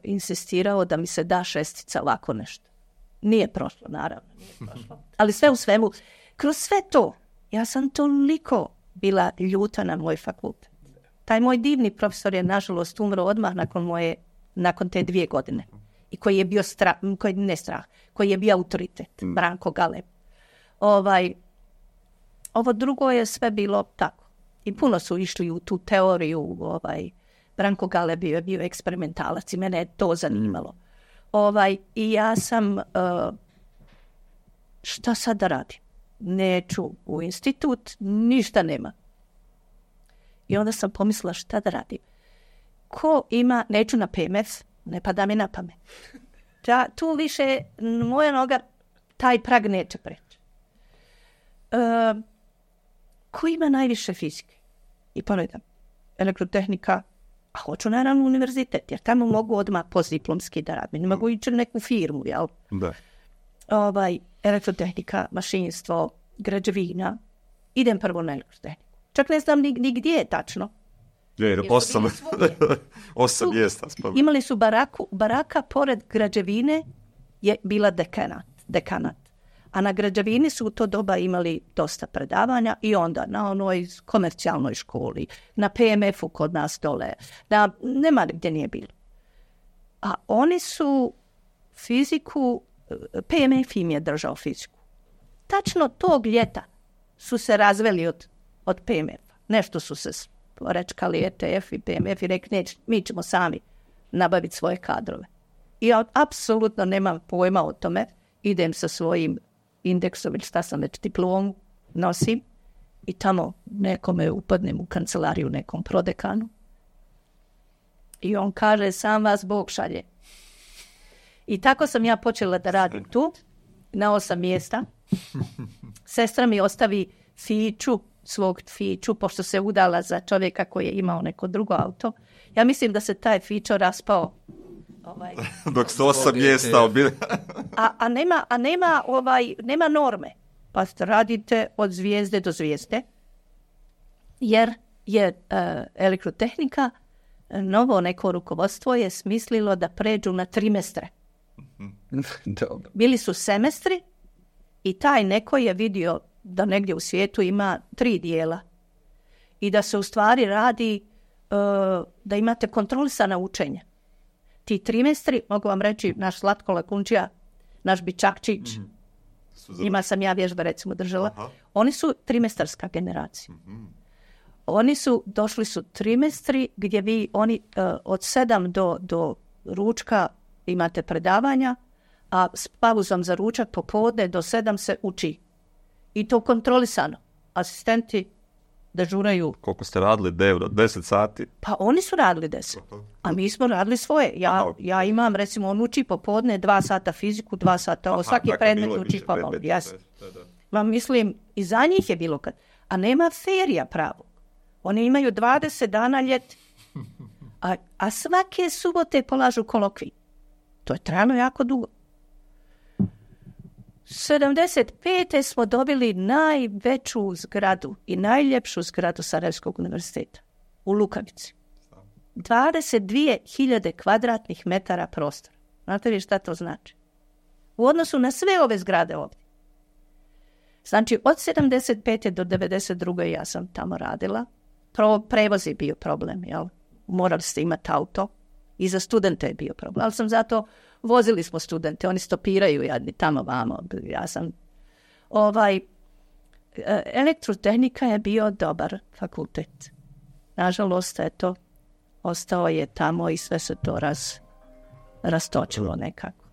insistirao da mi se da šestica lako nešto. Nije prošlo, naravno. Nije prošlo. Ali sve u svemu, kroz sve to, ja sam toliko bila ljuta na moj fakultet. Taj moj divni profesor je, nažalost, umro odmah nakon moje, nakon te dvije godine. I koji je bio strah, koji ne strah, koji je bio autoritet, mm. Branko Galeb. Ovaj, ovo drugo je sve bilo tako. I puno su išli u tu teoriju, ovaj, Branko Galeb je bio eksperimentalac i mene je to zanimalo. Mm. Ovaj, i ja sam, uh, šta sad da radim? Neću u institut, ništa nema. I onda sam pomislila šta da radim. Ko ima, neću na P M F, ne pada mi na pamet. Da, tu više moja noga, taj prag neće preći. Uh, ko ima najviše fizike? I pogledam, elektrotehnika, a hoću naravno univerzitet, jer tamo mogu odmah postdiplomski da radim. Ne mogu ići u neku firmu, jel? Da. Ovaj, elektrotehnika, mašinstvo, građevina. Idem prvo na elektrotehniku. Čak ne znam ni, ni gdje je tačno. Je, osam, osam mjesta. Imali su baraku, baraka pored građevine je bila dekanat, dekanat. A na građevini su u to doba imali dosta predavanja i onda na onoj komercijalnoj školi, na P M F-u kod nas dole, na, nema gdje nije bilo. A oni su fiziku, P M F im je držao fiziku. Tačno tog ljeta su se razveli od, od P M F-a. Nešto su se porečkali E T F i P M F i rekli, neće, mi ćemo sami nabaviti svoje kadrove. I ja apsolutno nemam pojma o tome. Idem sa svojim indeksom, šta sam već diplomu nosim i tamo nekome upadnem u kancelariju nekom prodekanu. I on kaže, sam vas Bog šalje. I tako sam ja počela da radim tu, na osam mjesta. Sestra mi ostavi fiću, svog fiću, pošto se udala za čovjeka koji je imao neko drugo auto. Ja mislim da se taj fićo raspao. Ovaj. Dok ste osam mjesta obili. a, a, nema, a nema, ovaj, nema norme. Pa radite od zvijezde do zvijezde. Jer je uh, elektrotehnika, novo neko rukovodstvo je smislilo da pređu na trimestre. Dobro. Bili su semestri i taj neko je vidio da negdje u svijetu ima tri dijela i da se u stvari radi uh, da imate kontrolisana učenja. Ti trimestri, mogu vam reći, naš Zlatko Lakunčija, naš Bičakčić, mm-hmm. ima sam ja vježbe recimo držala, aha. Oni su trimestarska generacija. Mm-hmm. Oni su, došli su trimestri gdje vi, oni uh, od sedam do, do ručka imate predavanja, a s pauzom za ručak popodne do sedam se uči. I to kontrolisano. Asistenti dežuraju. Koliko ste radili? deset sati? Pa oni su radili deset. A mi smo radili svoje. Ja, ja imam, recimo, on uči popodne dva sata fiziku, dva sata ovo. Svaki predmet uči pomalo. Yes. Ma mislim, i za njih je bilo kad. A nema ferija pravo. Oni imaju dvadeset dana ljeti. A, a svake subote polažu kolokvij. To je trajalo jako dugo. sedamdeset pete smo dobili najveću zgradu i najljepšu zgradu Sarajevskog univerziteta u Lukavici. dvadeset dvije hiljade kvadratnih metara prostora. Znate li šta to znači? U odnosu na sve ove zgrade ovdje. Znači, od sedamdeset pete do devedeset druge ja sam tamo radila. Pro, prevoz je bio problem, jel? Morali ste imati auto. I za studente je bio problem. Ali sam zato, vozili smo studente, oni stopiraju jadni tamo vamo. Ja sam, ovaj, elektrotehnika je bio dobar fakultet. Nažalost, eto, ostao je tamo i sve se to raz, rastočilo nekako.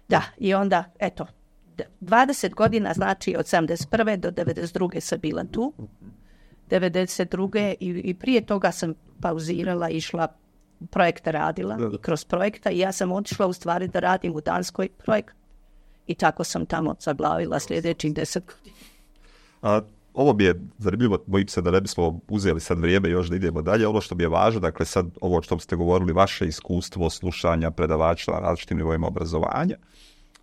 Da, i onda, eto, dvadeset godina, znači od sedamdeset prve do devedeset druge sam bila tu. devedeset druge i, i prije toga sam pauzirala, išla projekte radila i kroz projekta i ja sam otišla u stvari da radim u Danskoj projekt i tako sam tamo zaglavila sljedećih deset godina. A, ovo bi je zanimljivo, bojim se da ne bismo uzeli sad vrijeme još da idemo dalje. Ono što bi je važno, dakle sad ovo što ste govorili, vaše iskustvo slušanja predavača na različitim nivoima obrazovanja,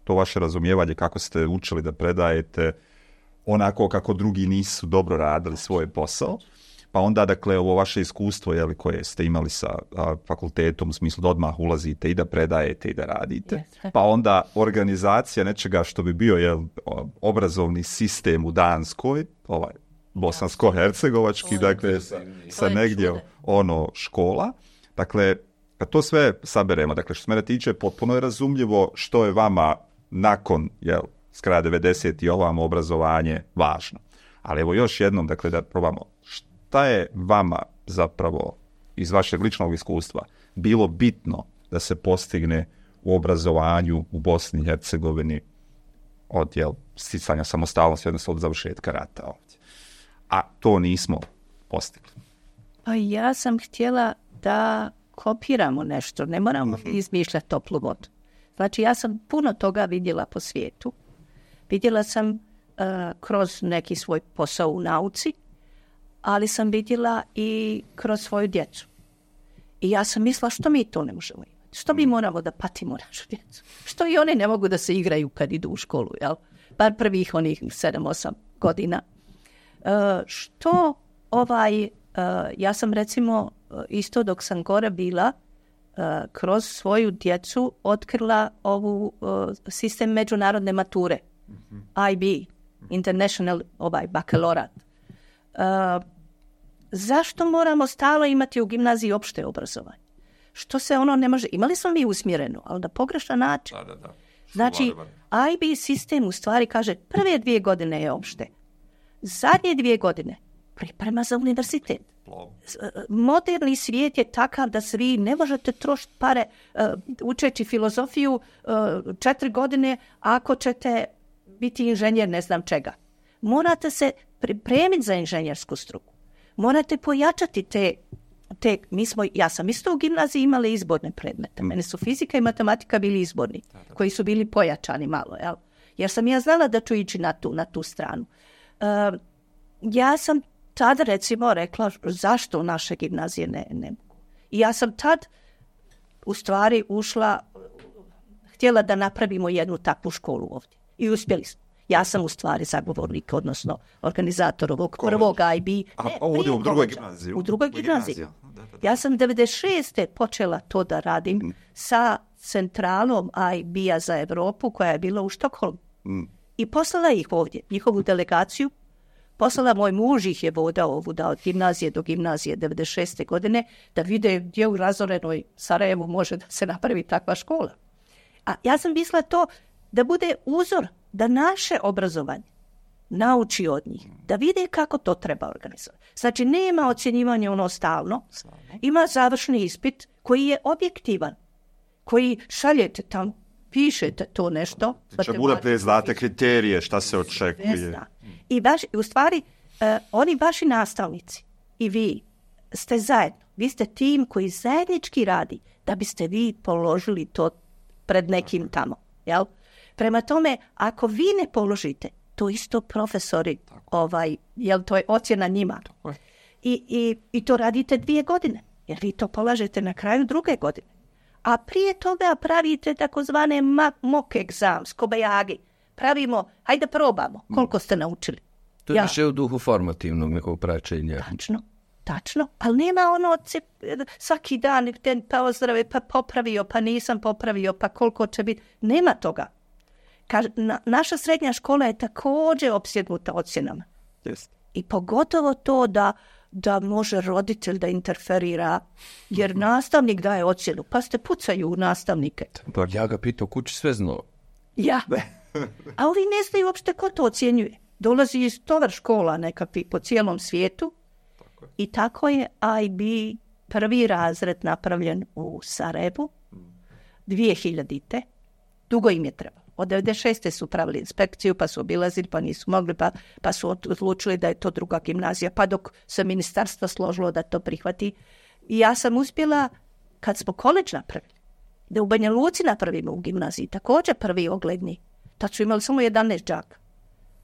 to vaše razumijevanje kako ste učili da predajete onako kako drugi nisu dobro radili svoj posao. Pa onda, dakle, ovo vaše iskustvo jeli, koje ste imali sa a, fakultetom, u smislu da odmah ulazite i da predajete i da radite. Yes. Pa onda organizacija nečega što bi bio jel, obrazovni sistem u Danskoj, ovaj bosansko-hercegovački, dakle, sa, sa negdje ono škola. Dakle, kad to sve saberemo, dakle, što se mene tiče, potpuno je razumljivo što je vama nakon, jel, s kraja devedeset i ovamo obrazovanje važno. Ali evo još jednom, dakle, da probamo. Šta je vama zapravo iz vašeg ličnog iskustva bilo bitno da se postigne u obrazovanju u Bosni i Hercegovini od jel, sticanja samostalnosti, odnosno od završetka rata ovdje? A to nismo postigli. Pa ja sam htjela da kopiramo nešto, ne moramo izmišljati toplu vodu. Znači ja sam puno toga vidjela po svijetu. Vidjela sam uh, kroz neki svoj posao u nauci, ali sam vidjela i kroz svoju djecu. I ja sam mislila što mi to ne možemo imati. Što mi moramo da patimo našu djecu. Što i oni ne mogu da se igraju kad idu u školu, jel? Bar prvih onih sedam osam godina. Uh, što ovaj, uh, ja sam recimo isto dok sam gore bila, uh, kroz svoju djecu otkrila ovu uh, sistem međunarodne mature. Mm-hmm. I B, International ovaj, bakalorat. Uh, zašto moramo stalo imati u gimnaziji opšte obrazovanje? Što se ono ne može... Imali smo mi usmjereno, ali na pogrešan način. Da, da, da. Znači, I B sistem u stvari kaže prve dvije godine je opšte. Zadnje dvije godine priprema za univerzitet. Moderni svijet je takav da se vi ne možete trošiti pare uh, učeći filozofiju uh, četiri godine ako ćete biti inženjer ne znam čega. Morate se pripremiti za inženjersku struku. Morate pojačati te te, mi smo, ja sam isto u gimnaziji imala izborne predmete. Mene su fizika i matematika bili izborni, koji su bili pojačani malo, jel? Jer sam ja znala da ću ići na tu, na tu stranu. Uh, ja sam tad, recimo, rekla zašto u naše gimnazije ne, ne. I ja sam tad, u stvari, ušla, htjela da napravimo jednu takvu školu ovdje. I uspjeli smo. Ja sam u stvari zagovornik, odnosno organizator ovog prvog I B. A, ne, ovdje u drugoj gimnaziji. U drugoj gimnaziji. Ja sam devedeset šeste počela to da radim mm. sa centralom I B-a za Europu koja je bila u Štokholmu. Mm. I poslala ih ovdje, njihovu delegaciju. Poslala moj muž ih je vodao ovu da od gimnazije do gimnazije devedeset šeste godine da vide gdje u razorenoj Sarajevu može da se napravi takva škola. A ja sam mislila to da bude uzor, da naše obrazovanje nauči od njih, da vide kako to treba organizovati. Znači, nema ocjenjivanja ono stalno, ima završni ispit koji je objektivan, koji šaljete tamo, pišete to nešto. Znači, unaprijed znate kriterije, šta se očekuje. I baš, u stvari, uh, oni vaši nastavnici i vi ste zajedno. Vi ste tim koji zajednički radi da biste vi položili to pred nekim tamo. Jel? Prema tome, ako vi ne položite, to isto profesori, ovaj, jel to je ocjena njima. I, i, I to radite dvije godine, jer vi to polažete na kraju druge godine. A prije toga pravite takozvane mock exams, kobajagi. Pravimo, hajde probamo, koliko ste naučili. To je ja. više u duhu formativnog nekog praćenja. Tačno, tačno. Ali nema ono svaki dan, pa ozdrave, pa popravio, pa nisam popravio, pa koliko će biti. Nema toga. Kaž, na, naša srednja škola je također opsjednuta ocjenama. Yes. I pogotovo to da, da može roditelj da interferira, jer nastavnik daje ocjenu. Pa ste pucaju u nastavnike. Pa ja ga pitao kući sve znao. Ja. A ovi ne znaju uopšte ko to ocjenjuje. Dolazi iz tovar škola nekakvi po cijelom svijetu. Tako i tako je I B prvi razred napravljen u Sarajevu. dvije hiljadite. Dugo im je trebalo. Od devedeset šeste su pravili inspekciju, pa su obilazili, pa nisu mogli, pa, pa su odlučili da je to druga gimnazija, pa dok se ministarstvo složilo da to prihvati. I ja sam uspjela, kad smo koleđ napravili, da u Banja Luci napravimo u gimnaziji, također prvi ogledni. Tad su imali samo jedanaest đaka.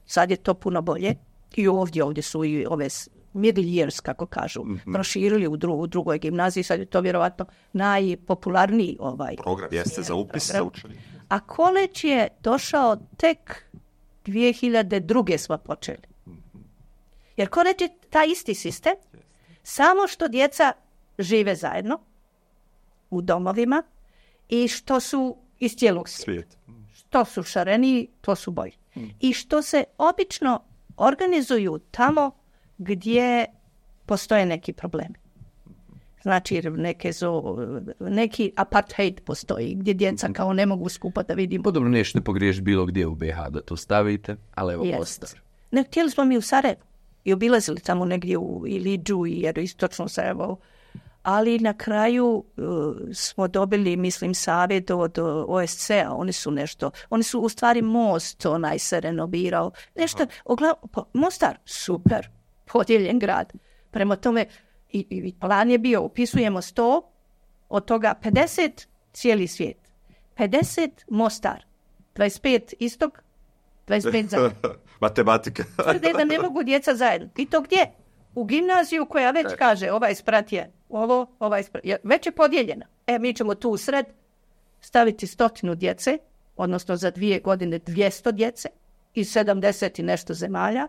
Sad je to puno bolje. I ovdje, ovdje su i ove middle years, kako kažu, mm-hmm. proširili u, dru, u drugoj gimnaziji. Sad je to vjerovatno najpopularniji ovaj program. Jeste za upis za učenje. A koleđ je došao tek dvije hiljade druge smo počeli. Jer koleđ je taj isti sistem, samo što djeca žive zajedno u domovima i što su iz cijelog svijeta. Što su šareniji, to su bolji. I što se obično organizuju tamo gdje postoje neki problemi. Znači, neke zo, neki apartheid postoji, gdje djeca kao ne mogu skupa da vidimo. Podobno nećete pogriješiti bilo gdje u B H da to stavite, ali evo Mostar. Ne, htjeli smo mi u Sarajevu i obilazili tamo negdje u Iliđu i jer istočno Sarajevo. Ali na kraju uh, smo dobili, mislim, savjet od O S C-a. Oni su nešto, oni su u stvari most onaj se renovirao. Nešto, ogla, Mostar, super, podijeljen grad. Prema tome, I, i plan je bio, upisujemo sto, od toga pedeset cijeli svijet, pedeset Mostar, dvadeset pet istok, dvadeset pet zajedno. Matematika. Tvrde da ne mogu djeca zajedno. I to gdje? U gimnaziju koja već kaže, ovaj sprat je ovo, ovaj sprat je, već je podijeljena. E, mi ćemo tu u sred staviti stotinu djece, odnosno za dvije godine dvjesto djece, iz sedamdeset i nešto zemalja,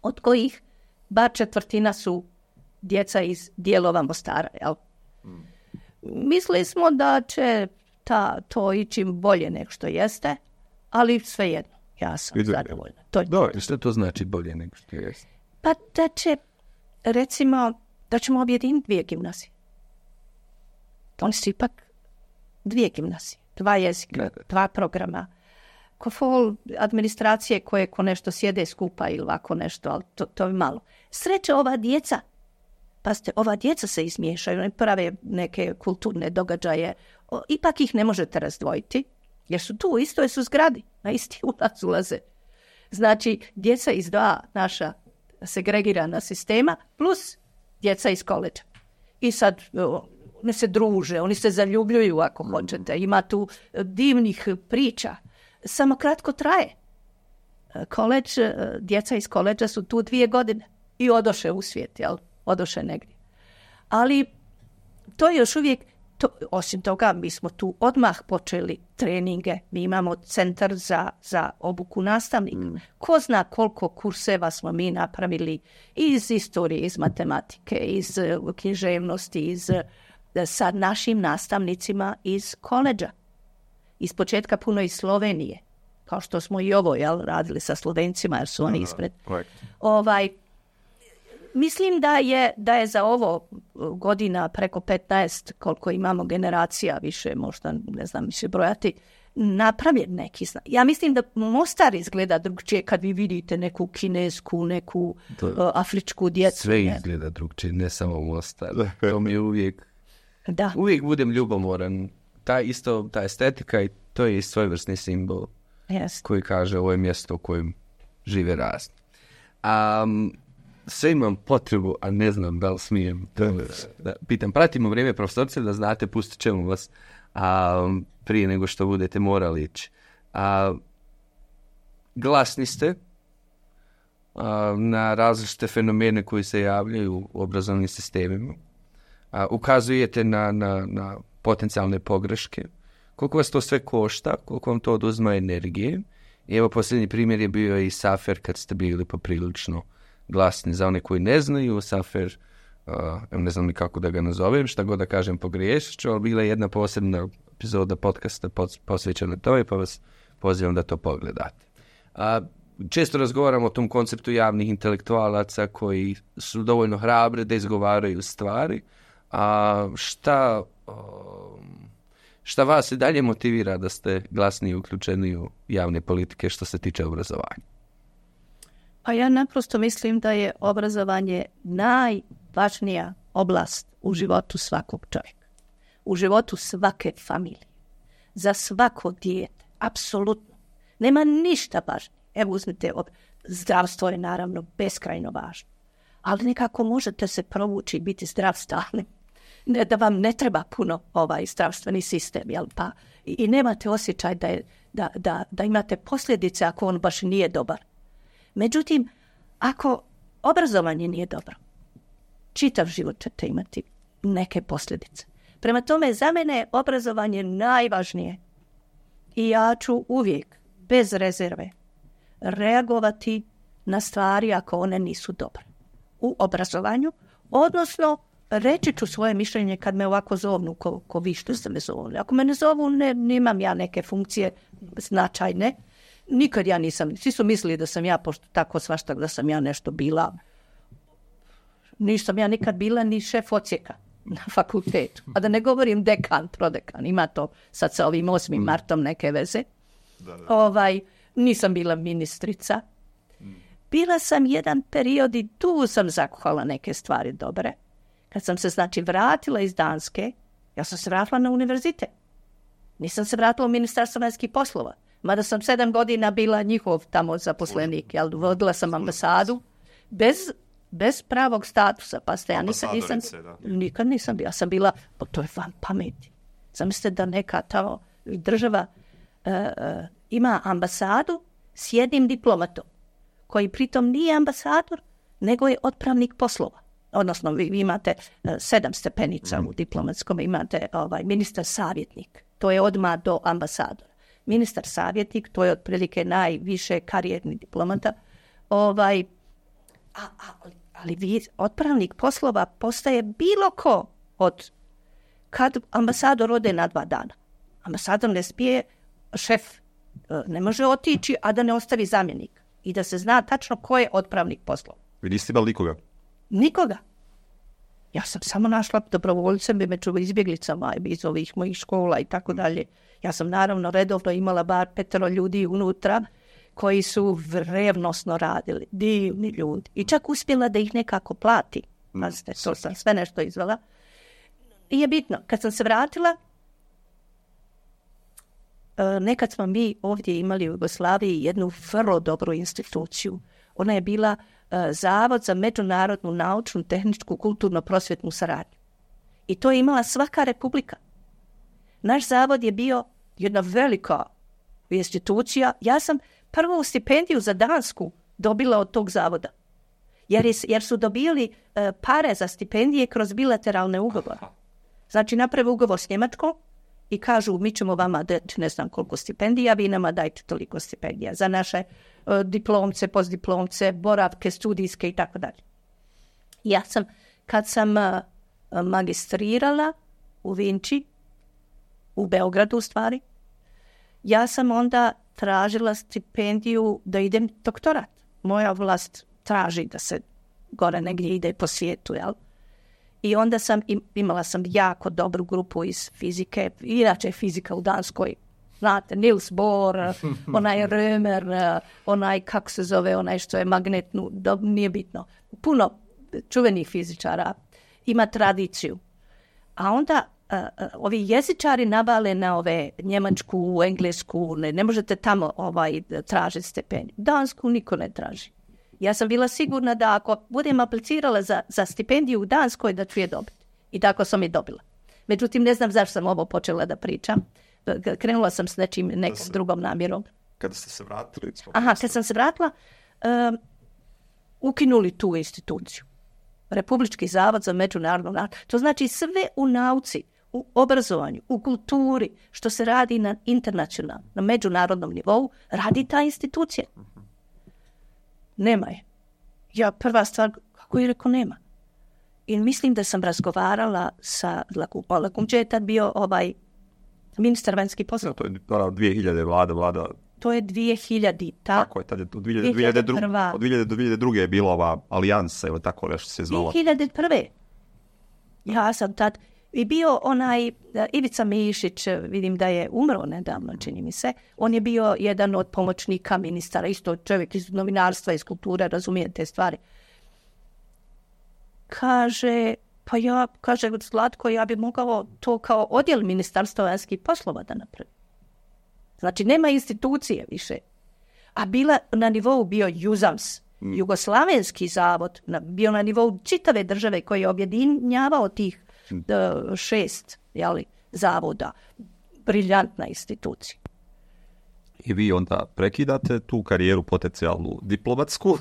od kojih bar četvrtina su djeca iz dijelova Mostara, jel? Mm. Mislili smo da će ta, to ići bolje nego što jeste, ali svejedno, ja sam Idu, zadovoljna. To, da, što to znači bolje nego što jeste? Pa da će, recimo, da ćemo objediniti dvije gimnazije. Oni su ipak dvije gimnazije, dva jezika, ne. dva programa. Ko fol administracije koje ko nešto sjede skupa ili ovako nešto, ali to, to je malo. Sreće ova djeca, pa ste, ova djeca se izmiješaju, oni prave neke kulturne događaje, o, ipak ih ne možete razdvojiti, jer su tu, isto su zgradi, na isti ulaz ulaze. Znači, djeca iz dva naša segregirana sistema, plus djeca iz koleđa. I sad o, oni se druže, oni se zaljubljuju ako hoćete. Ima tu divnih priča. Samo kratko traje. Koleđ, djeca iz koleđa su tu dvije godine i odoše u svijet, jel? Odoše negdje. Ali to je još uvijek, to, osim toga, mi smo tu odmah počeli treninge. Mi imamo centar za, za obuku nastavnika. Mm. Ko zna koliko kurseva smo mi napravili iz istorije, iz matematike, iz uh, književnosti, iz, uh, sa našim nastavnicima iz koleđa. Iz početka puno iz Slovenije. Kao što smo i ovo jel, radili sa Slovencima, jer su oni ispred. Ovaj, mislim da je, da je za ovo godina preko petnaest, koliko imamo generacija, više možda, ne znam, više brojati, napravljen neki znak. Ja mislim da Mostar izgleda drugčije kad vi vidite neku kinesku, neku to, uh, afričku djecu. Sve izgleda drugčije, ne samo Mostar. To mi je uvijek, da. uvijek budem ljubomoran. Ta isto, ta estetika i to je svojevrsni simbol. Yes. Koji kaže ovo je mjesto u kojem žive razni. Um, sve imam potrebu, a ne znam da li smijem da, da pitam. Pratimo vrijeme profesorce da znate, pustit ćemo vas um, prije nego što budete morali ići. Uh, glasni ste uh, na različite fenomene koji se javljaju u obrazovnim sistemima. Uh, ukazujete na, na, na potencijalne pogreške. Koliko vas to sve košta, koliko vam to oduzma energije. I evo posljednji primjer je bio i Safer kad ste bili poprilično glasni. Za one koji ne znaju, Safer, uh, ne znam ni kako da ga nazovem, šta god da kažem pogriješit ću, ali bila je jedna posebna epizoda podcasta posvećena tome, pa vas pozivam da to pogledate. Uh, često razgovaramo o tom konceptu javnih intelektualaca koji su dovoljno hrabri da izgovaraju stvari. A uh, šta... Uh, Šta vas i dalje motivira da ste glasniji i uključeni u javne politike što se tiče obrazovanja? Pa ja naprosto mislim da je obrazovanje najvažnija oblast u životu svakog čovjeka. U životu svake familije. Za svako dijete. Apsolutno. Nema ništa važnije. Evo uzmite, zdravstvo je naravno beskrajno važno. Ali nekako možete se provući i biti zdrav stalno. Ne, da vam ne treba puno ovaj zdravstveni sistem, jel pa? I, i nemate osjećaj da, je, da, da, da imate posljedice ako on baš nije dobar. Međutim, ako obrazovanje nije dobro, čitav život ćete imati neke posljedice. Prema tome, za mene je obrazovanje najvažnije. I ja ću uvijek, bez rezerve, reagovati na stvari ako one nisu dobre. U obrazovanju, odnosno reći ću svoje mišljenje kad me ovako zovnu, ko, ko vi što ste me zovuli. Ako me ne zovu, ne, nemam ja neke funkcije značajne. Nikad ja nisam, svi su mislili da sam ja, pošto tako svašta, da sam ja nešto bila. Nisam ja nikad bila ni šef odsjeka na fakultetu. A da ne govorim dekan, prodekan, ima to sad sa ovim osmim martom neke veze. Da, da. Ovaj, nisam bila ministrica. Bila sam jedan period i tu sam zakuhala neke stvari dobre. Kad sam se, znači, vratila iz Danske, ja sam se vratila na univerzitet. Nisam se vratila u Ministarstvo vanjskih poslova. Mada sam sedam godina bila njihov tamo zaposlenik. Jel, vodila sam ambasadu bez, bez pravog statusa. Pa ste, ja nisam, nisam, nikad nisam bila. Ja sam bila, pa to je van pameti. Zamislite da neka tamo država uh, uh, ima ambasadu s jednim diplomatom, koji pritom nije ambasador, nego je otpravnik poslova. Odnosno, vi, vi imate uh, sedam stepenica mm. u diplomatskom, imate ovaj, ministar savjetnik, to je odmah do ambasadora. Ministar savjetnik, to je otprilike najviše karijerni diplomata. Ovaj, a, a, ali vi, otpravnik poslova postaje bilo ko od kad ambasador ode na dva dana. Ambasador ne smije, šef ne može otići, a da ne ostavi zamjenik. I da se zna tačno ko je otpravnik poslova. Vi niste imali nikoga? Nikoga. Ja sam samo našla dobrovoljce među izbjeglicama iz ovih mojih škola i tako dalje. Ja sam naravno redovno imala bar petero ljudi unutra koji su revnosno radili. Divni ljudi. I čak uspjela da ih nekako plati. Pazite, to sam sve nešto izvela. I je bitno, kad sam se vratila, nekad smo mi ovdje imali u Jugoslaviji jednu vrlo dobru instituciju. Ona je bila Zavod za međunarodnu, naučnu, tehničku, kulturno-prosvjetnu saradnju. I to je imala svaka republika. Naš zavod je bio jedna velika institucija. Ja sam prvu stipendiju za Dansku dobila od tog zavoda. Jer, je, jer su dobili uh, pare za stipendije kroz bilateralne ugovore. Znači, naprave ugovor s Njemačkom i kažu, mi ćemo vama dati ne znam koliko stipendija, vi nama dajte toliko stipendija za naše uh, diplomce, postdiplomce, boravke, studijske i tako dalje. Ja sam, kad sam uh, magistrirala u Vinči, u Beogradu u stvari, ja sam onda tražila stipendiju da idem doktorat. Moja vlast traži da se gore negdje ide po svijetu, jel? I onda sam, imala sam jako dobru grupu iz fizike, inače je fizika u Danskoj, znate, Niels Bohr, onaj Römer, onaj, kako se zove, onaj što je magnetnu, do, nije bitno, puno čuvenih fizičara, ima tradiciju. A onda uh, uh, ovi jezičari navale na ove njemačku, englesku, ne, ne možete tamo ovaj, tražiti stipendiju. Dansku niko ne traži. Ja sam bila sigurna da ako budem aplicirala za, za stipendiju u Danskoj, da ću je dobiti. I tako sam je dobila. Međutim, ne znam zašto sam ovo počela da pričam. Krenula sam s nečim, nekom se, drugom namjerom. Kada ste se vratili? Aha, kad sam se vratila, um, ukinuli tu instituciju. Republički zavod za međunarodnu nauku. To znači sve u nauci, u obrazovanju, u kulturi, što se radi na internacionalnom, na međunarodnom nivou, radi ta institucija. Nema je. Ja prva stvar, kako je rekao, nema. I mislim da sam razgovarala sa Lakumom. Lakumđe je tad bio ovaj ministar vanjskih poslova. To je dvije hiljade vlada, vlada. To je dvije hiljade. Ta, tako je, tad je od dvije hiljade druge. Od dvije hiljade do dvije hiljade druge je bila ova alijansa ili tako nešto se zvala. dvije hiljade prve. Ja sam tad i bio onaj Ivica Mišić, vidim da je umro nedavno, čini mi se. On je bio jedan od pomoćnika ministara, isto čovjek iz novinarstva, iz kulture, razumije te stvari. Kaže, pa ja, kaže Zlatko, ja bi mogao to kao odjel ministarstva vanjskih poslova da napravim. Znači, nema institucije više. A bila na nivou bio Juzams, mm. Jugoslavenski zavod, na, bio na nivou čitave države koji je objedinjavao tih mm. uh, šest jeli, zavoda. Briljantna institucija. I vi onda prekidate tu karijeru potencijalnu diplomatsku?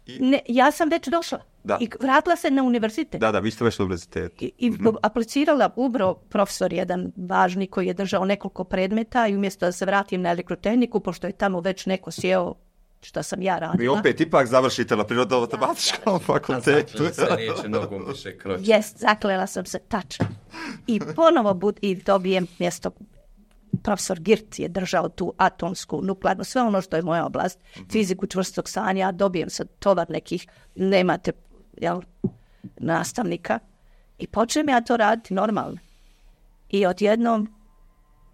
I... Ne, ja sam već došla. Da. I vratila se na univerzitet. Da, da, vi ste već na univerzitetu. I, i mm-hmm. aplicirala ubro profesor jedan važni koji je držao nekoliko predmeta i umjesto da se vratim na elektrotehniku, pošto je tamo već neko sjeo što sam ja radila. Vi opet ipak završite na prirodno-matematičkom fakultetu. A se neće nogom više kroći. Jest, zaklela sam se tačno. I ponovo bud, i dobijem mjesto. Profesor Girt je držao tu atomsku, nuklearnu, sve ono što je moja oblast, mm-hmm. fiziku čvrstog stanja, dobijem sad tovar nekih, nemate jel, nastavnika i počnem ja to raditi normalno. I odjednom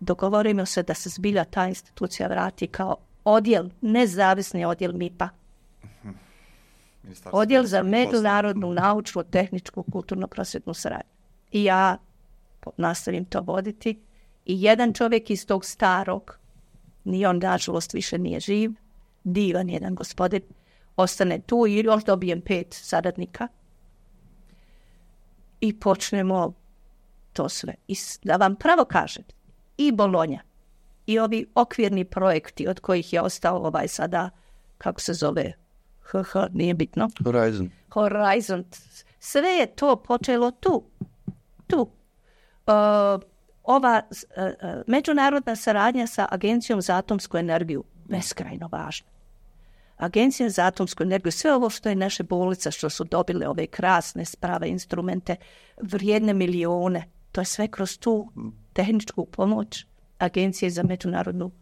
dogovorimo se da se zbilja ta institucija vrati kao odjel, nezavisni odjel M I P-a. Mm-hmm. Odjel za međunarodnu, naučnu, tehničku, kulturno-prosvjetnu saradnju. I ja nastavim to voditi. I jedan čovjek iz tog starog, ni on nažalost više nije živ, divan jedan gospodin, ostane tu i još dobijem pet saradnika i počnemo to sve. I da vam pravo kažem, i Bolonja, i ovi okvirni projekti od kojih je ostao ovaj sada, kako se zove, H H, nije bitno. Horizon. Horizon. Sve je to počelo tu. Tu. Uh, ova uh, međunarodna saradnja sa Agencijom za atomsku energiju, beskrajno važna. Agencija za atomsku energiju, sve ovo što je naše bolnice, što su dobile ove krasne sprave, instrumente, vrijedne milijone, to je sve kroz tu tehničku pomoć Agencije za međunarodnu uh,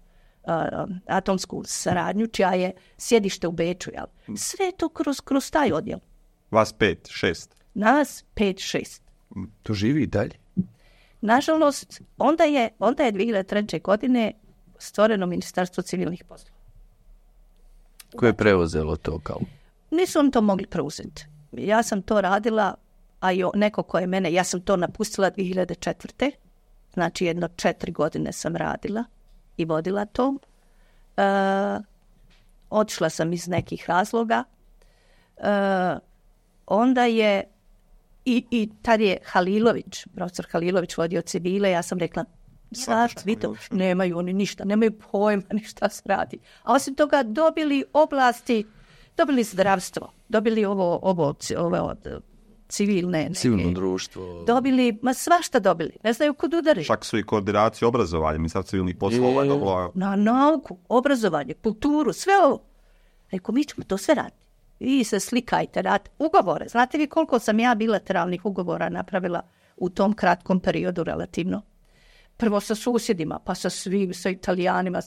atomsku saradnju, čija je sjedište u Beču. Jel? Sve je to kroz, kroz taj odjel. Vas pet, šest? Nas pet, šest. To živi i dalje? Nažalost, onda je, onda je dvije hiljade treće. godine stvoreno Ministarstvo civilnih poslova. Koje je preuzelo to kao? Nisu oni to mogli preuzeti. Ja sam to radila, a i neko ko je mene, ja sam to napustila dvije hiljade četvrte. Znači jedno četiri godine sam radila i vodila to. E, otišla sam iz nekih razloga. E, onda je I, i tad je Halilović, profesor Halilović vodio civile, ja sam rekla, sad vi to, nemaju oni ništa, nemaju pojma ni šta se radi. A osim toga dobili oblasti, dobili zdravstvo, dobili ovo, ovo, ovo od civilne neke. Civilno društvo. Dobili, ma svašta dobili, ne znaju kud udari. Čak su i koordinaciju obrazovanja, ministarstvo civilnih poslova. Dobila... Na nauku, obrazovanje, kulturu, sve ovo. Rekao, mi ćemo to sve raditi. Vi se slikajte, radite ugovore. Znate vi koliko sam ja bilateralnih ugovora napravila u tom kratkom periodu relativno? Prvo sa susjedima, pa sa svim, sa Italijanima.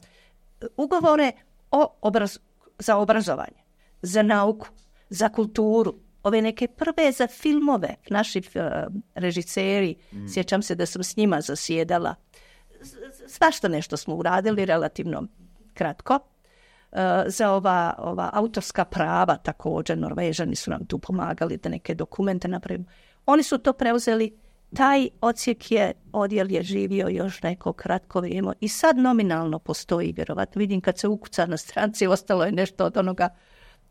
Ugovore o obraz, za obrazovanje, za nauku, za kulturu. Ove neke prve za filmove, naši uh, režiseri, mm. sjećam se da sam s njima zasjedala. Svašta nešto smo uradili relativno kratko. Uh, za ova, ova autorska prava također, Norvežani su nam tu pomagali da neke dokumente napravimo. Oni su to preuzeli, taj odsjek je, odjel je živio još neko kratko vrijeme i sad nominalno postoji, vjerovatno. Vidim kad se ukuca na stranci, ostalo je nešto od onoga,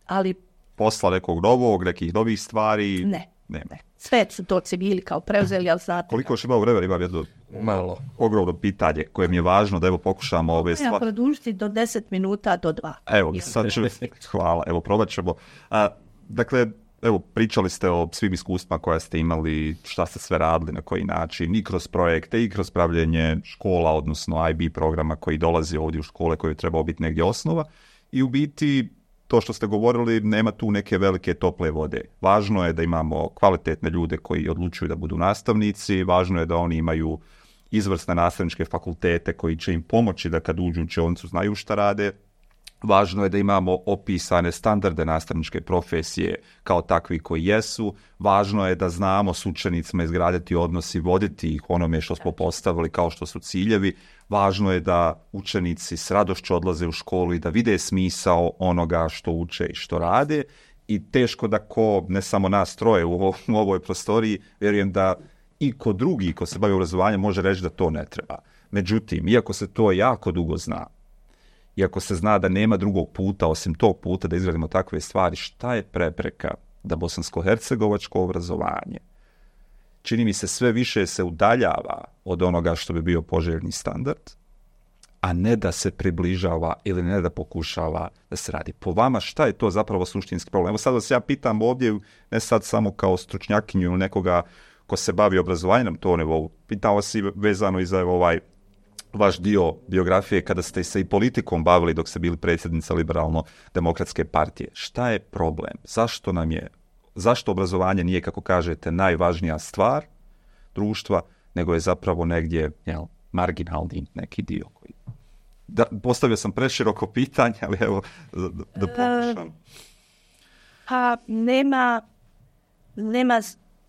ali... Posla nekog novog, nekih novih stvari? Ne, ne. ne. Sve su to civili kao preuzeli, ali znate... Koliko još ima vremena, imam jedno malo ogromno pitanje koje mi je važno da evo pokušamo ove stvari... Ja produžiti do deset minuta do dva. Evo, sad ću... Hvala, evo probat ćemo. A, dakle, evo, pričali ste o svim iskustvima koja ste imali, šta ste sve radili, na koji način, i kroz projekte, i kroz pravljenje škola, odnosno I B programa koji dolazi ovdje u škole, koji je trebao biti negdje osnova. I u biti... To što ste govorili, nema tu neke velike tople vode. Važno je da imamo kvalitetne ljude koji odlučuju da budu nastavnici, važno je da oni imaju izvrsne nastavničke fakultete koji će im pomoći da kad uđu u učionicu znaju šta rade. Važno je da imamo opisane standarde nastavničke profesije kao takvi koji jesu. Važno je da znamo s učenicima izgraditi odnos i voditi ih onome što smo postavili kao što su ciljevi. Važno je da učenici s radošću odlaze u školu i da vide smisao onoga što uče i što rade. I teško da ko, ne samo nas troje u, ovo, u ovoj prostoriji, vjerujem da i ko drugi ko se bavi obrazovanjem može reći da to ne treba. Međutim, iako se to jako dugo zna, iako se zna da nema drugog puta osim tog puta da izgradimo takve stvari, šta je prepreka da bosansko-hercegovačko obrazovanje, čini mi se, sve više se udaljava od onoga što bi bio poželjni standard, a ne da se približava ili ne da pokušava da se radi. Po vama, šta je to zapravo suštinski problem? Evo sad vas ja pitam ovdje, ne sad samo kao stručnjakinju ili nekoga ko se bavi obrazovanjem na tom nivou, pitao vas i vezano i za ovaj vaš dio biografije kada ste se i politikom bavili dok ste bili predsjednica Liberalno-demokratske partije. Šta je problem? Zašto nam je, zašto obrazovanje nije, kako kažete, najvažnija stvar društva, nego je zapravo negdje, jel, marginalni neki dio koji... Da, postavio sam preširoko pitanje, ali evo, da, da pokušam. Uh, pa nema, nema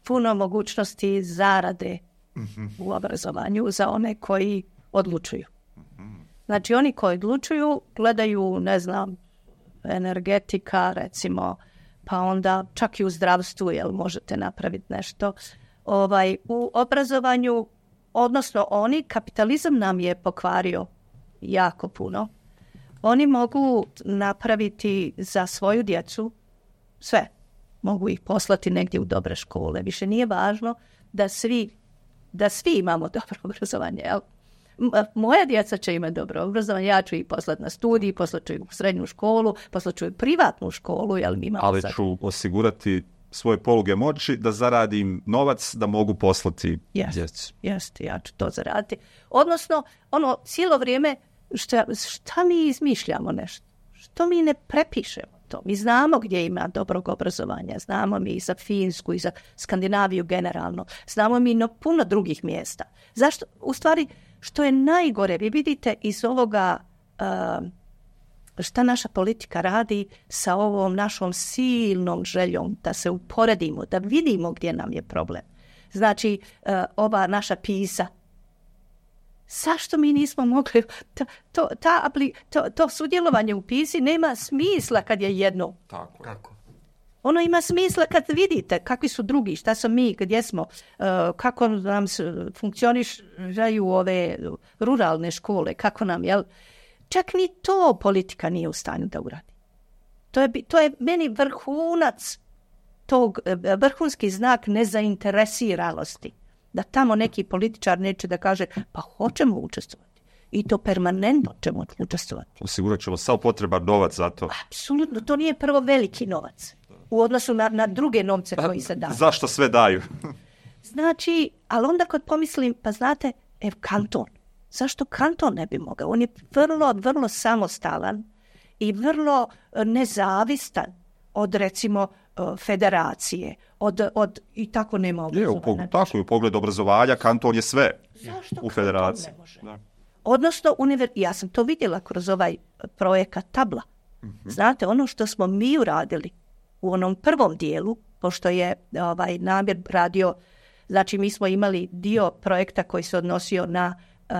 puno mogućnosti zarade uh-huh. u obrazovanju za one koji odlučuju. Znači, oni koji odlučuju gledaju, ne znam, energetika, recimo, pa onda čak i u zdravstvu, jel možete napraviti nešto. Ovaj, u obrazovanju, odnosno oni, kapitalizam nam je pokvario jako puno. Oni mogu napraviti za svoju djecu sve. Mogu ih poslati negdje u dobre škole. Više nije važno da svi, da svi imamo dobro obrazovanje, jel? Moja djeca će imati dobro obrazovanje, ja ću ih poslati na studij, poslat ću ih u srednju školu, poslat ću ih u privatnu školu. Jel, mi imamo ali sad... ću osigurati svoje poluge moći da zaradim novac da mogu poslati jest, djecu. Jeste, ja ću to zaraditi. Odnosno, ono, cijelo vrijeme, šta, šta mi izmišljamo nešto? Što mi ne prepišemo to? Mi znamo gdje ima dobrog obrazovanja, znamo mi i za Finsku i za Skandinaviju generalno, znamo mi no puno drugih mjesta. Zašto? U stvari, što je najgore, vi vidite iz ovoga uh, šta naša politika radi sa ovom našom silnom željom da se uporedimo, da vidimo gdje nam je problem. Znači, uh, ova naša PISA, zašto mi nismo mogli, to, to, ta, to, to sudjelovanje u PISI nema smisla kad je jedno. Tako, tako. Ono ima smisla kad vidite kakvi su drugi, šta smo mi, gdje smo, uh, kako nam funkcioniraju ove ruralne škole, kako nam, jel? Čak ni to politika nije u stanju da uradi. To je, to je meni vrhunac tog e, vrhunski znak nezainteresiranosti. Da tamo neki političar neće da kaže pa hoćemo učestvovati. I to permanentno ćemo učestvovati. Osigurat ćemo sav potreban novac za to. Apsolutno, to nije prvo veliki novac u odnosu na, na druge novce koji se daju. Zašto sve daju? Znači, ali onda kad pomislim, pa znate, ev kanton. Zašto kanton ne bi mogao? On je vrlo, vrlo samostalan i vrlo nezavistan od, recimo, federacije, od, od i tako nema obrazovanja. Je, tako je, u pogledu obrazovanja kanton je sve. Zašto u federaciji. Ne može? Da. Odnosno, univer... ja sam to vidjela kroz ovaj projekat Tabla. Mm-hmm. Znate, ono što smo mi uradili u onom prvom dijelu, pošto je ovaj Namir radio, znači mi smo imali dio projekta koji se odnosio na uh,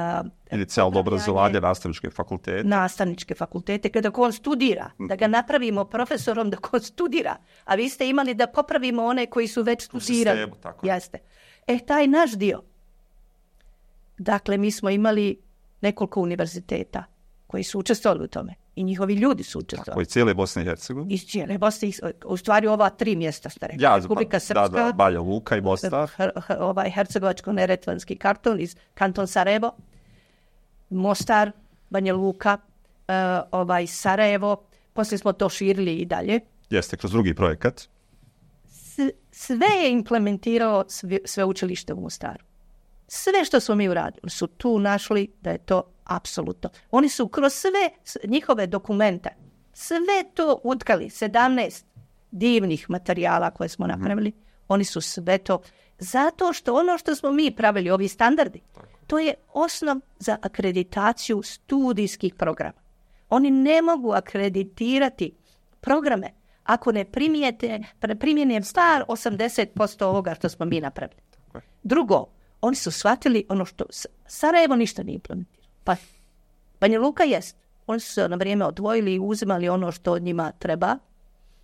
inicijalno obrazovanje, nastavničke fakultete. Nastavničke fakultete, kada on studira, mm-hmm. da ga napravimo profesorom da on studira, a vi ste imali da popravimo one koji su već studirali. Sistemu, tako. Jeste. E, taj naš dio. Dakle, mi smo imali nekoliko univerziteta koji su učestvovali u tome. I njihovi ljudi su učestvovali. Tako, i cijele Bosne i Hercegovine. Iz cijele Bosne i u stvari ova tri mjesta ste rekli. Ja, Republika Srpska, da, da, Banja Luka i Mostar. Her, her, ovaj Hercegovačko-neretvanski karton iz kanton Sarajevo, Mostar, Banja Luka, uh, ovaj Sarajevo. Poslije smo to širili i dalje. Jeste, kroz drugi projekat. S, sve je implementirao sve, sveučilište u Mostaru. Sve što smo mi uradili su tu našli da je to apsolutno. Oni su kroz sve njihove dokumente, sve to utkali, sedamnaest divnih materijala koje smo napravili, mm-hmm. oni su sve to, zato što ono što smo mi pravili, ovi standardi, to je osnov za akreditaciju studijskih programa. Oni ne mogu akreditirati programe ako ne primijete, primjene star osamdeset posto ovoga što smo mi napravili. Drugo, oni su shvatili ono što Sarajevo ništa nije implementirao. Pa Banja Luka jest. Oni su se na vrijeme odvojili i uzimali ono što njima treba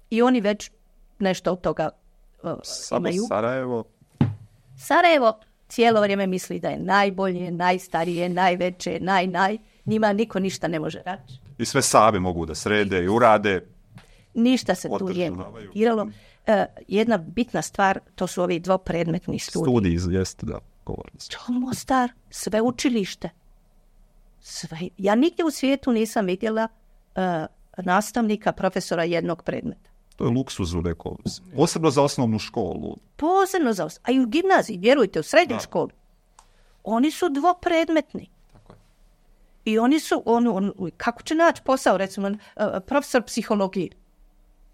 i oni već nešto od toga uh, imaju. Sarajevo. Sarajevo cijelo vrijeme misli da je najbolje, najstarije, najveće, naj, naj. Njima niko ništa ne može reći. I sve sami mogu da srede i urade. Ništa se tu nije implementiralo. Uh, jedna bitna stvar, to su ovi dvopredmetni studiji. Studiji, jeste, da. Mostar, sve učilište. Sve. Ja nigdje u svijetu nisam vidjela uh, nastavnika, profesora jednog predmeta. To je luksuz u nekom. Posebno za osnovnu školu. Posebno za osnovnu. A i u gimnaziji, vjerujte, u srednjoj školi. Oni su dvopredmetni. Tako je. I oni su, on, on, kako će naći posao, recimo, uh, profesor psihologije?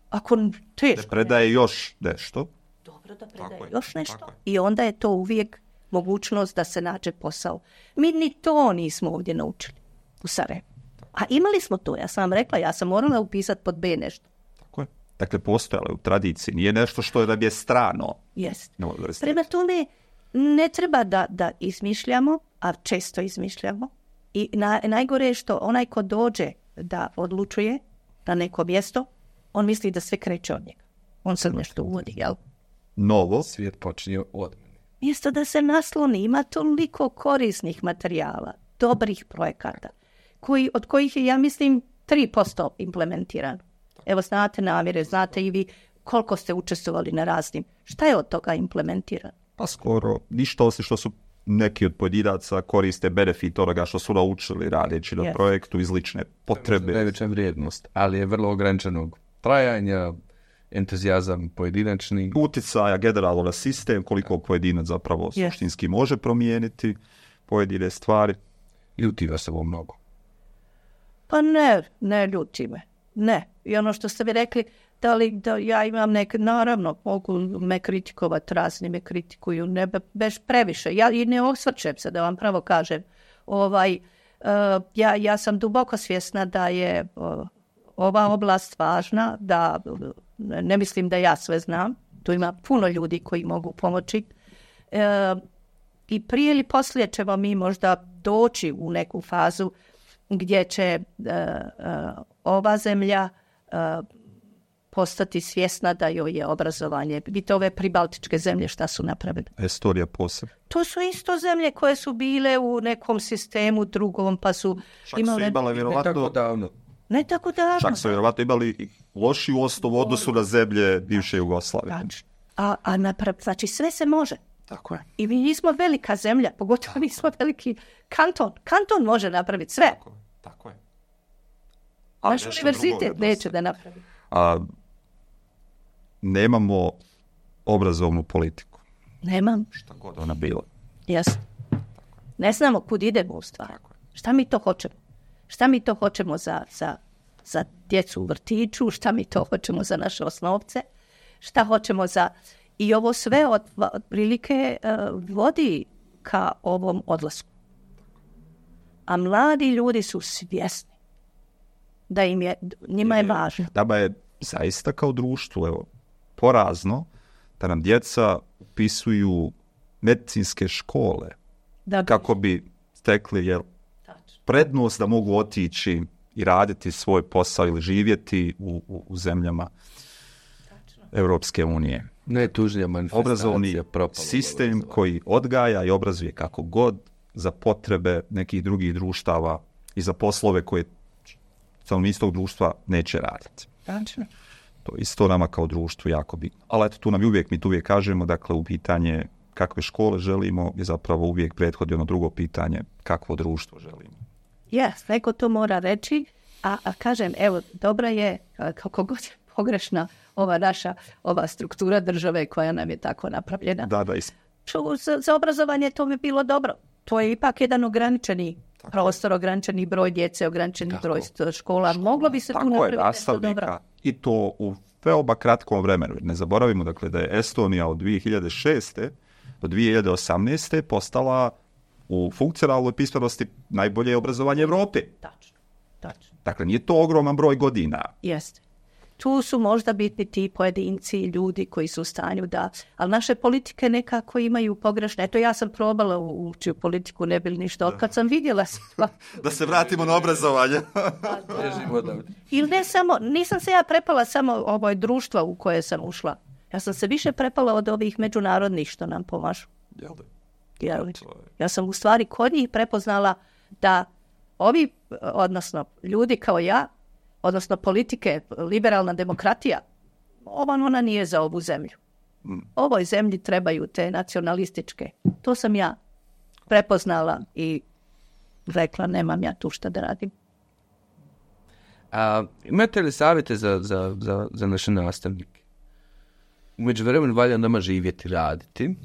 Ako teško. Da predaje još nešto. Dobro, da predaje još nešto. I onda je to uvijek mogućnost da se nađe posao. Mi ni to nismo ovdje naučili u Sarajevu. A imali smo to, ja sam vam rekla, ja sam morala upisati pod B nešto. Tako je. Dakle, postojalo je u tradiciji, nije nešto što je da je strano. Jest. Prema tome, ne treba da, da izmišljamo, a često izmišljamo. I na, najgore je što onaj ko dođe da odlučuje na neko mjesto, on misli da sve kreće od njega. On sad nešto uvodi, jel? Novo. Svijet počinje od mjesto da se nasloni, ima toliko korisnih materijala, dobrih projekata, koji, od kojih je, ja mislim, tri posto implementirano. Evo, znate Namire, znate i vi koliko ste učestvovali na raznim. Šta je od toga implementirano? Pa skoro ništa, osim što su neki od pojedinaca koriste benefit onoga što su naučili radeći na yes. projektu iz lične potrebe. Najveća vrijednost, ali je vrlo ograničenog trajanja, entuzijazam pojedinačni. Uticaja generalno na sistem, koliko pojedinac zapravo yes. suštinski može promijeniti pojedine stvari. Ljuti vas ovo mnogo? Pa ne, ne ljuti me. Ne. I ono što ste vi rekli, da li da ja imam neke, naravno, mogu me kritikovati, razni me kritikuju, ne beš previše. Ja i ne osvrćem se, da vam pravo kažem. Ovaj, uh, ja, ja sam duboko svjesna da je uh, ova oblast važna, da ne mislim da ja sve znam. Tu ima puno ljudi koji mogu pomoći. Uh, I prije ili poslije ćemo mi možda doći u neku fazu gdje će uh, uh, ova zemlja uh, postati svjesna da joj je obrazovanje. Vidite ove pribaltičke zemlje šta su napravili. Estonija posebno. To su isto zemlje koje su bile u nekom sistemu drugom, pa su Čak imale... su imale vjerovatno... Ne tako davno. Ne tako davno. Čak su vjerovatno imali loši u osnovu odnosu na zemlje bivše Jugoslavije. A, a naprav, znači sve se može. Tako je. I mi nismo velika zemlja, pogotovo nismo veliki kanton. Kanton može napraviti sve. Tako, tako je. Naš univerzitet neće da napravi. A, nemamo obrazovnu politiku. Nemam. Šta god ona bila. Jasno. Ne znamo kud idemo u stvari. Šta mi to hoćemo? Šta mi to hoćemo za, za, za djecu u vrtiću? Šta mi to hoćemo za naše osnovce? Šta hoćemo za... I ovo sve od, od prilike uh, vodi ka ovom odlasku. A mladi ljudi su svjesni da im je, njima je važno. Daba je zaista kao društvo, evo, porazno da nam djeca upisuju medicinske škole da bi... kako bi stekli jel, prednost da mogu otići i raditi svoj posao ili živjeti u, u, u zemljama Tačno. Europske unije. Najtužnija manifestacija. Obrazovni sistem koji odgaja i obrazuje kako god za potrebe nekih drugih društava i za poslove koje stanovništvo društva neće raditi. Tačno. To isto nama kao društvu jako bitno. Ali eto, tu nam uvijek, mi tu uvijek kažemo, dakle, u pitanje kakve škole želimo je zapravo uvijek prethodi ono drugo pitanje, kakvo društvo želimo. Jes, neko to mora reći, a, a kažem, evo, dobra je, kako god je pogrešna ova naša, ova struktura države koja nam je tako napravljena. Da, da. Is... Za, za obrazovanje to bi bilo dobro. To je ipak jedan ograničeni tako prostor, ograničeni broj djece, ograničeni tako. broj škola. škola. Moglo bi se tako tu napraviti nešto dobro. I to u veoma kratkom vremenu. Ne zaboravimo, dakle, da je Estonija od dvije hiljade šeste do dvije hiljade osamnaeste postala u funkcionalnoj pismenosti najbolje obrazovanje Evrope. Tačno, tačno. Dakle, nije to ogroman broj godina. Jeste. Tu su možda bitni ti pojedinci, ljudi koji su u stanju da... Ali naše politike nekako imaju pogrešne. Eto, ja sam probala ući u politiku, ne bili ništa. Od kad sam vidjela sva... da se vratimo na obrazovanje. Ili ne samo... Nisam se ja prepala samo ovo društva u koje sam ušla. Ja sam se više prepala od ovih međunarodnih što nam pomažu. Jel da? Ja, ja sam u stvari kod njih prepoznala da ovi, odnosno ljudi kao ja, odnosno politike, liberalna demokratija, ova ona nije za ovu zemlju. Ovoj zemlji trebaju te nacionalističke. To sam ja prepoznala i rekla, nemam ja tu šta da radim. A, imate li savjete za, za, za, za naše nastavnike? Umeđu vremenu valja nama živjeti, raditi.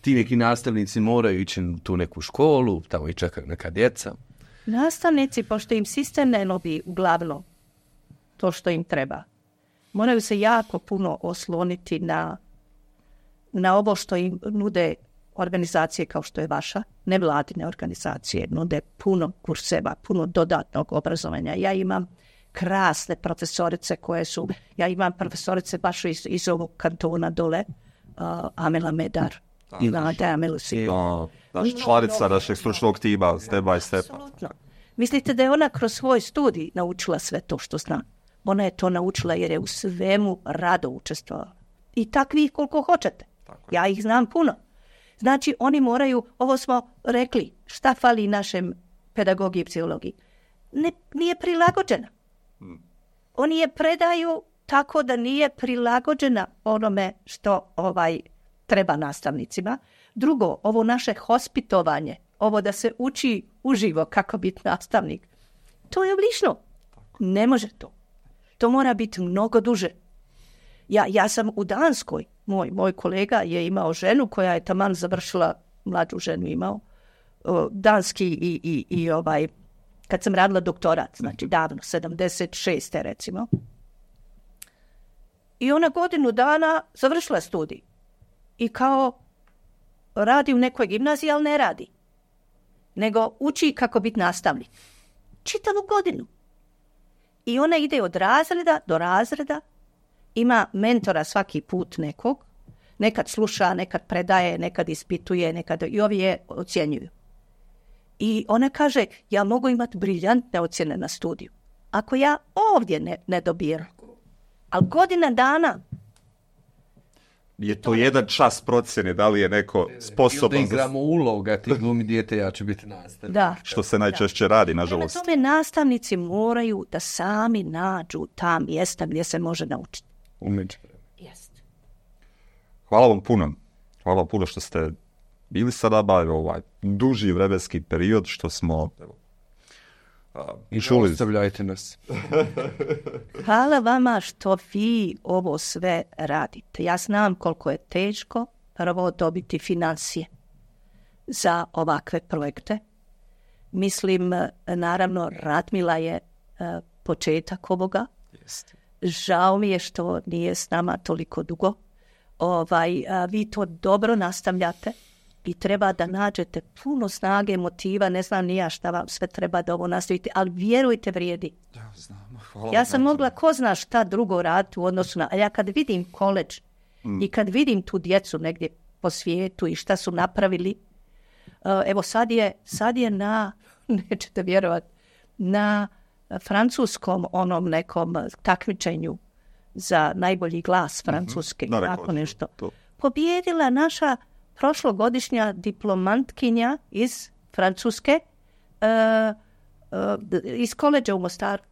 Ti neki nastavnici moraju ići u tu neku školu, tamo i čekaju neka djeca. Nastavnici, pošto im sistem ne nobi uglavnom to što im treba, moraju se jako puno osloniti na, na ovo što im nude organizacije kao što je vaša, nevladine organizacije, nude puno kurseva, puno dodatnog obrazovanja. Ja imam krasne profesorice koje su, ja imam profesorice baš iz, iz ovog kantona dole, uh, Amela Medar. I Nada Amelu si. Naša članica našeg stručnog tima, step by step. Absolutno. Mislite da je ona kroz svoj studij naučila sve to što zna? Ona je to naučila jer je u svemu rado učestvovala. I takvih koliko hoćete. Ja ih znam puno. Znači, oni moraju, ovo smo rekli, šta fali našem pedagogiji i psihologiji? Ne, nije prilagođena. Hmm. Oni je predaju tako da nije prilagođena onome što ovaj treba nastavnicima. Drugo, ovo naše hospitovanje, ovo da se uči uživo kako biti nastavnik, to je oblično. Ne može to. To mora biti mnogo duže. Ja, ja sam u Danskoj, moj, moj kolega je imao ženu koja je taman završila, mlađu ženu imao, o, danski i, i, i ovaj, kad sam radila doktorat, znači davno, sedamdeset šeste recimo. I ona godinu dana završila studij. I kao radi u nekoj gimnaziji, ali ne radi. Nego uči kako biti nastavnik. Čitavu godinu. I ona ide od razreda do razreda, ima mentora svaki put nekog, nekad sluša, nekad predaje, nekad ispituje, nekad i ovi je ocjenjuju. I ona kaže, ja mogu imati briljantne ocjene na studiju. Ako ja ovdje ne, ne dobijem, ali godina dana. je to jedan čas procjene, da li je neko sposoban... Da igramo uloga, ti glumi dijete, ja ću biti nastavnik. Da. Što se najčešće radi, Prema nažalost. tome, nastavnici moraju da sami nađu ta mjesta gdje se može naučiti. Umeđu. Jest. Hvala vam puno. Hvala vam puno što ste bili sa nama, ovaj duži vremenski period što smo evo, a, I čuli. ostavljajte nas. Hvala vama što vi ovo sve radite. Ja znam koliko je teško prvo dobiti financije za ovakve projekte. Mislim, naravno, Radmila je uh, početak ovoga. Žao mi je što nije s nama toliko dugo. Ovaj, a, vi to dobro nastavljate i treba da nađete puno snage, motiva, ne znam ni ja šta vam sve treba da ovo nastavite, ali vjerujte, vrijedi. Ja, znam. Hvala Ja vam sam na mogla ko zna šta drugo raditi u odnosu na... A ja kad vidim koleđ Mm. i kad vidim tu djecu negdje po svijetu i šta su napravili, uh, evo sad je, sad je na, nećete vjerovati, na francuskom onom nekom takmičenju za najbolji glas Francuske, Da, rekao tako sam nešto. to. Pobjedila naša prošlogodišnja diplomantkinja iz Francuske, uh, uh, iz koleđa u Mostaru.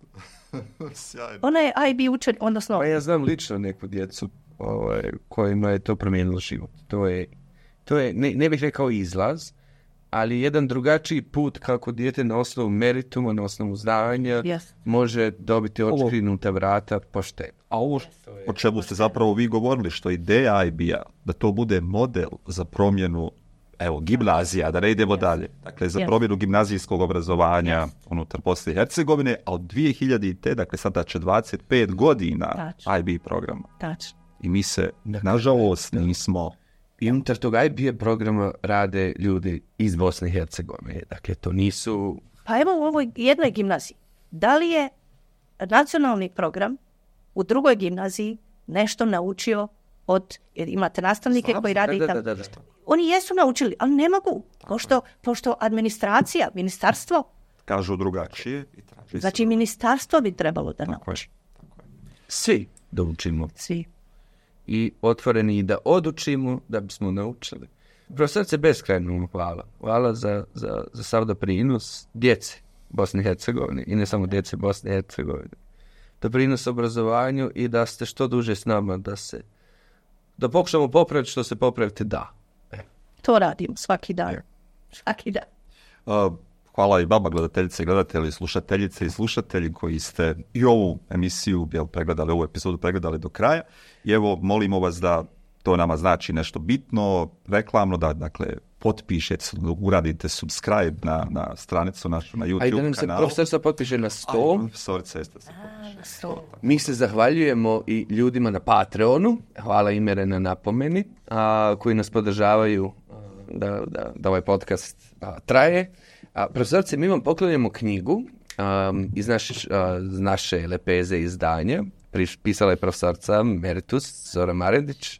Sjajno. Ona je I B učen, odnosno... Pa ja znam lično neku djecu ovaj, kojima je to promijenilo život. To je, to je ne, ne bih rekao izlaz, ali jedan drugačiji put kako dijete na osnovu merituma, na osnovu znanja Yes. može dobiti otškrinuta vrata pošteno. A ovo o čemu ste zapravo vi govorili, što ideja I B-a, da to bude model za promjenu, evo, gimnazija, da ne idemo dalje. Dakle, za Yes. promjenu gimnazijskog obrazovanja unutar Bosne i Hercegovine, a od dvije hiljadite. dakle, sada će dvadeset pet godina Tačno. I B programa. Tačno. I mi se, nažalost, nismo... I unutar toga I B programa rade ljudi iz Bosne i Hercegovine. Dakle, to nisu... Pa evo u ovoj jednoj gimnaziji. Da li je nacionalni program u drugoj gimnaziji nešto naučio od... Jer imate nastavnike koji rade i Da, tamo. da, da, da. Oni jesu naučili, ali ne mogu. Pošto, pošto administracija, ministarstvo, Kažu drugačije. I traži znači se- ministarstvo bi trebalo da Tako je. nauči. Svi da učimo. Svi. I otvoreni da odučimo, da bismo naučili. Profesorice, beskrajno hvala. Hvala za, za, za sav doprinos djece Bosne i Hercegovine i ne samo djece Bosne i Hercegovine. Doprinos obrazovanju i da ste što duže s nama, da se da pokušamo popraviti što se popraviti da. To radimo svaki dan. Svaki dan. Uh, hvala i vama, gledateljice i gledatelji, slušateljice i slušatelji koji ste i ovu emisiju jel, pregledali, ovu epizodu pregledali do kraja. I evo, molimo vas da to nama znači nešto bitno, reklamno, da dakle potpišete, uradite subscribe na, na stranicu našu na YouTube A i da nam se kanalu. profesorica potpiše na sto. Profesorica jeste se potpiše. So, Mi se zahvaljujemo i ljudima na Patreonu, hvala Imere na napomeni, a, koji nas podržavaju a, da, da, da ovaj podcast a, traje. A, profesorice, mi vam poklonjamo knjigu a, iz naše, a, naše lepeze izdanja. Priš, pisala je profesorica Meritus Zora Maredić,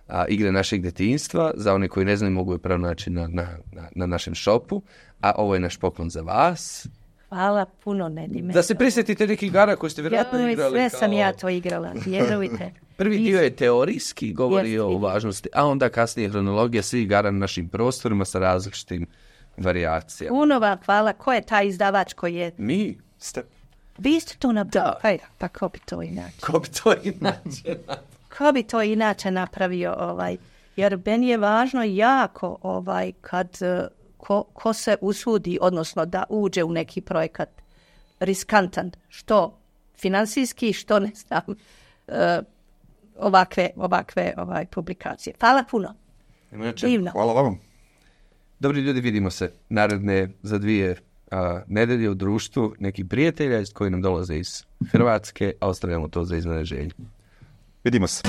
a, Igre našeg djetinjstva. Za one koji ne znaju, mogu je pronaći na, na, na, na našem šopu. A ovo je naš poklon za vas. hvala puno, Nedime. Da se prisjetite nekih igara koje ste vjerojatno Joj, igrali. sve kao- sam ja to igrala, vjerujte. Prvi dio je teorijski, govori Jeste. o važnosti, a onda kasnije hronologija svih igara na našim prostorima sa različitim varijacijama. Puno vam hvala. Ko je taj izdavač koji je... Mi, Ste. Vi ste to napravili? Pa, pa ko bi to inače? ko bi to inače? Ko bi to inače napravio? Ovaj? Jer meni je važno jako ovaj, kad eh, ko, ko se usudi, odnosno da uđe u neki projekat riskantan, što finansijski, što ne znam, eh, ovakve, ovakve ovaj, publikacije. Hvala puno. Inače, Divno. Hvala vam. dobri ljudi, vidimo se naredne za dvije a, nedelje u društvu nekih prijatelja koji nam dolaze iz Hrvatske, a ostavljamo to za iznenađenje. Vidimo se.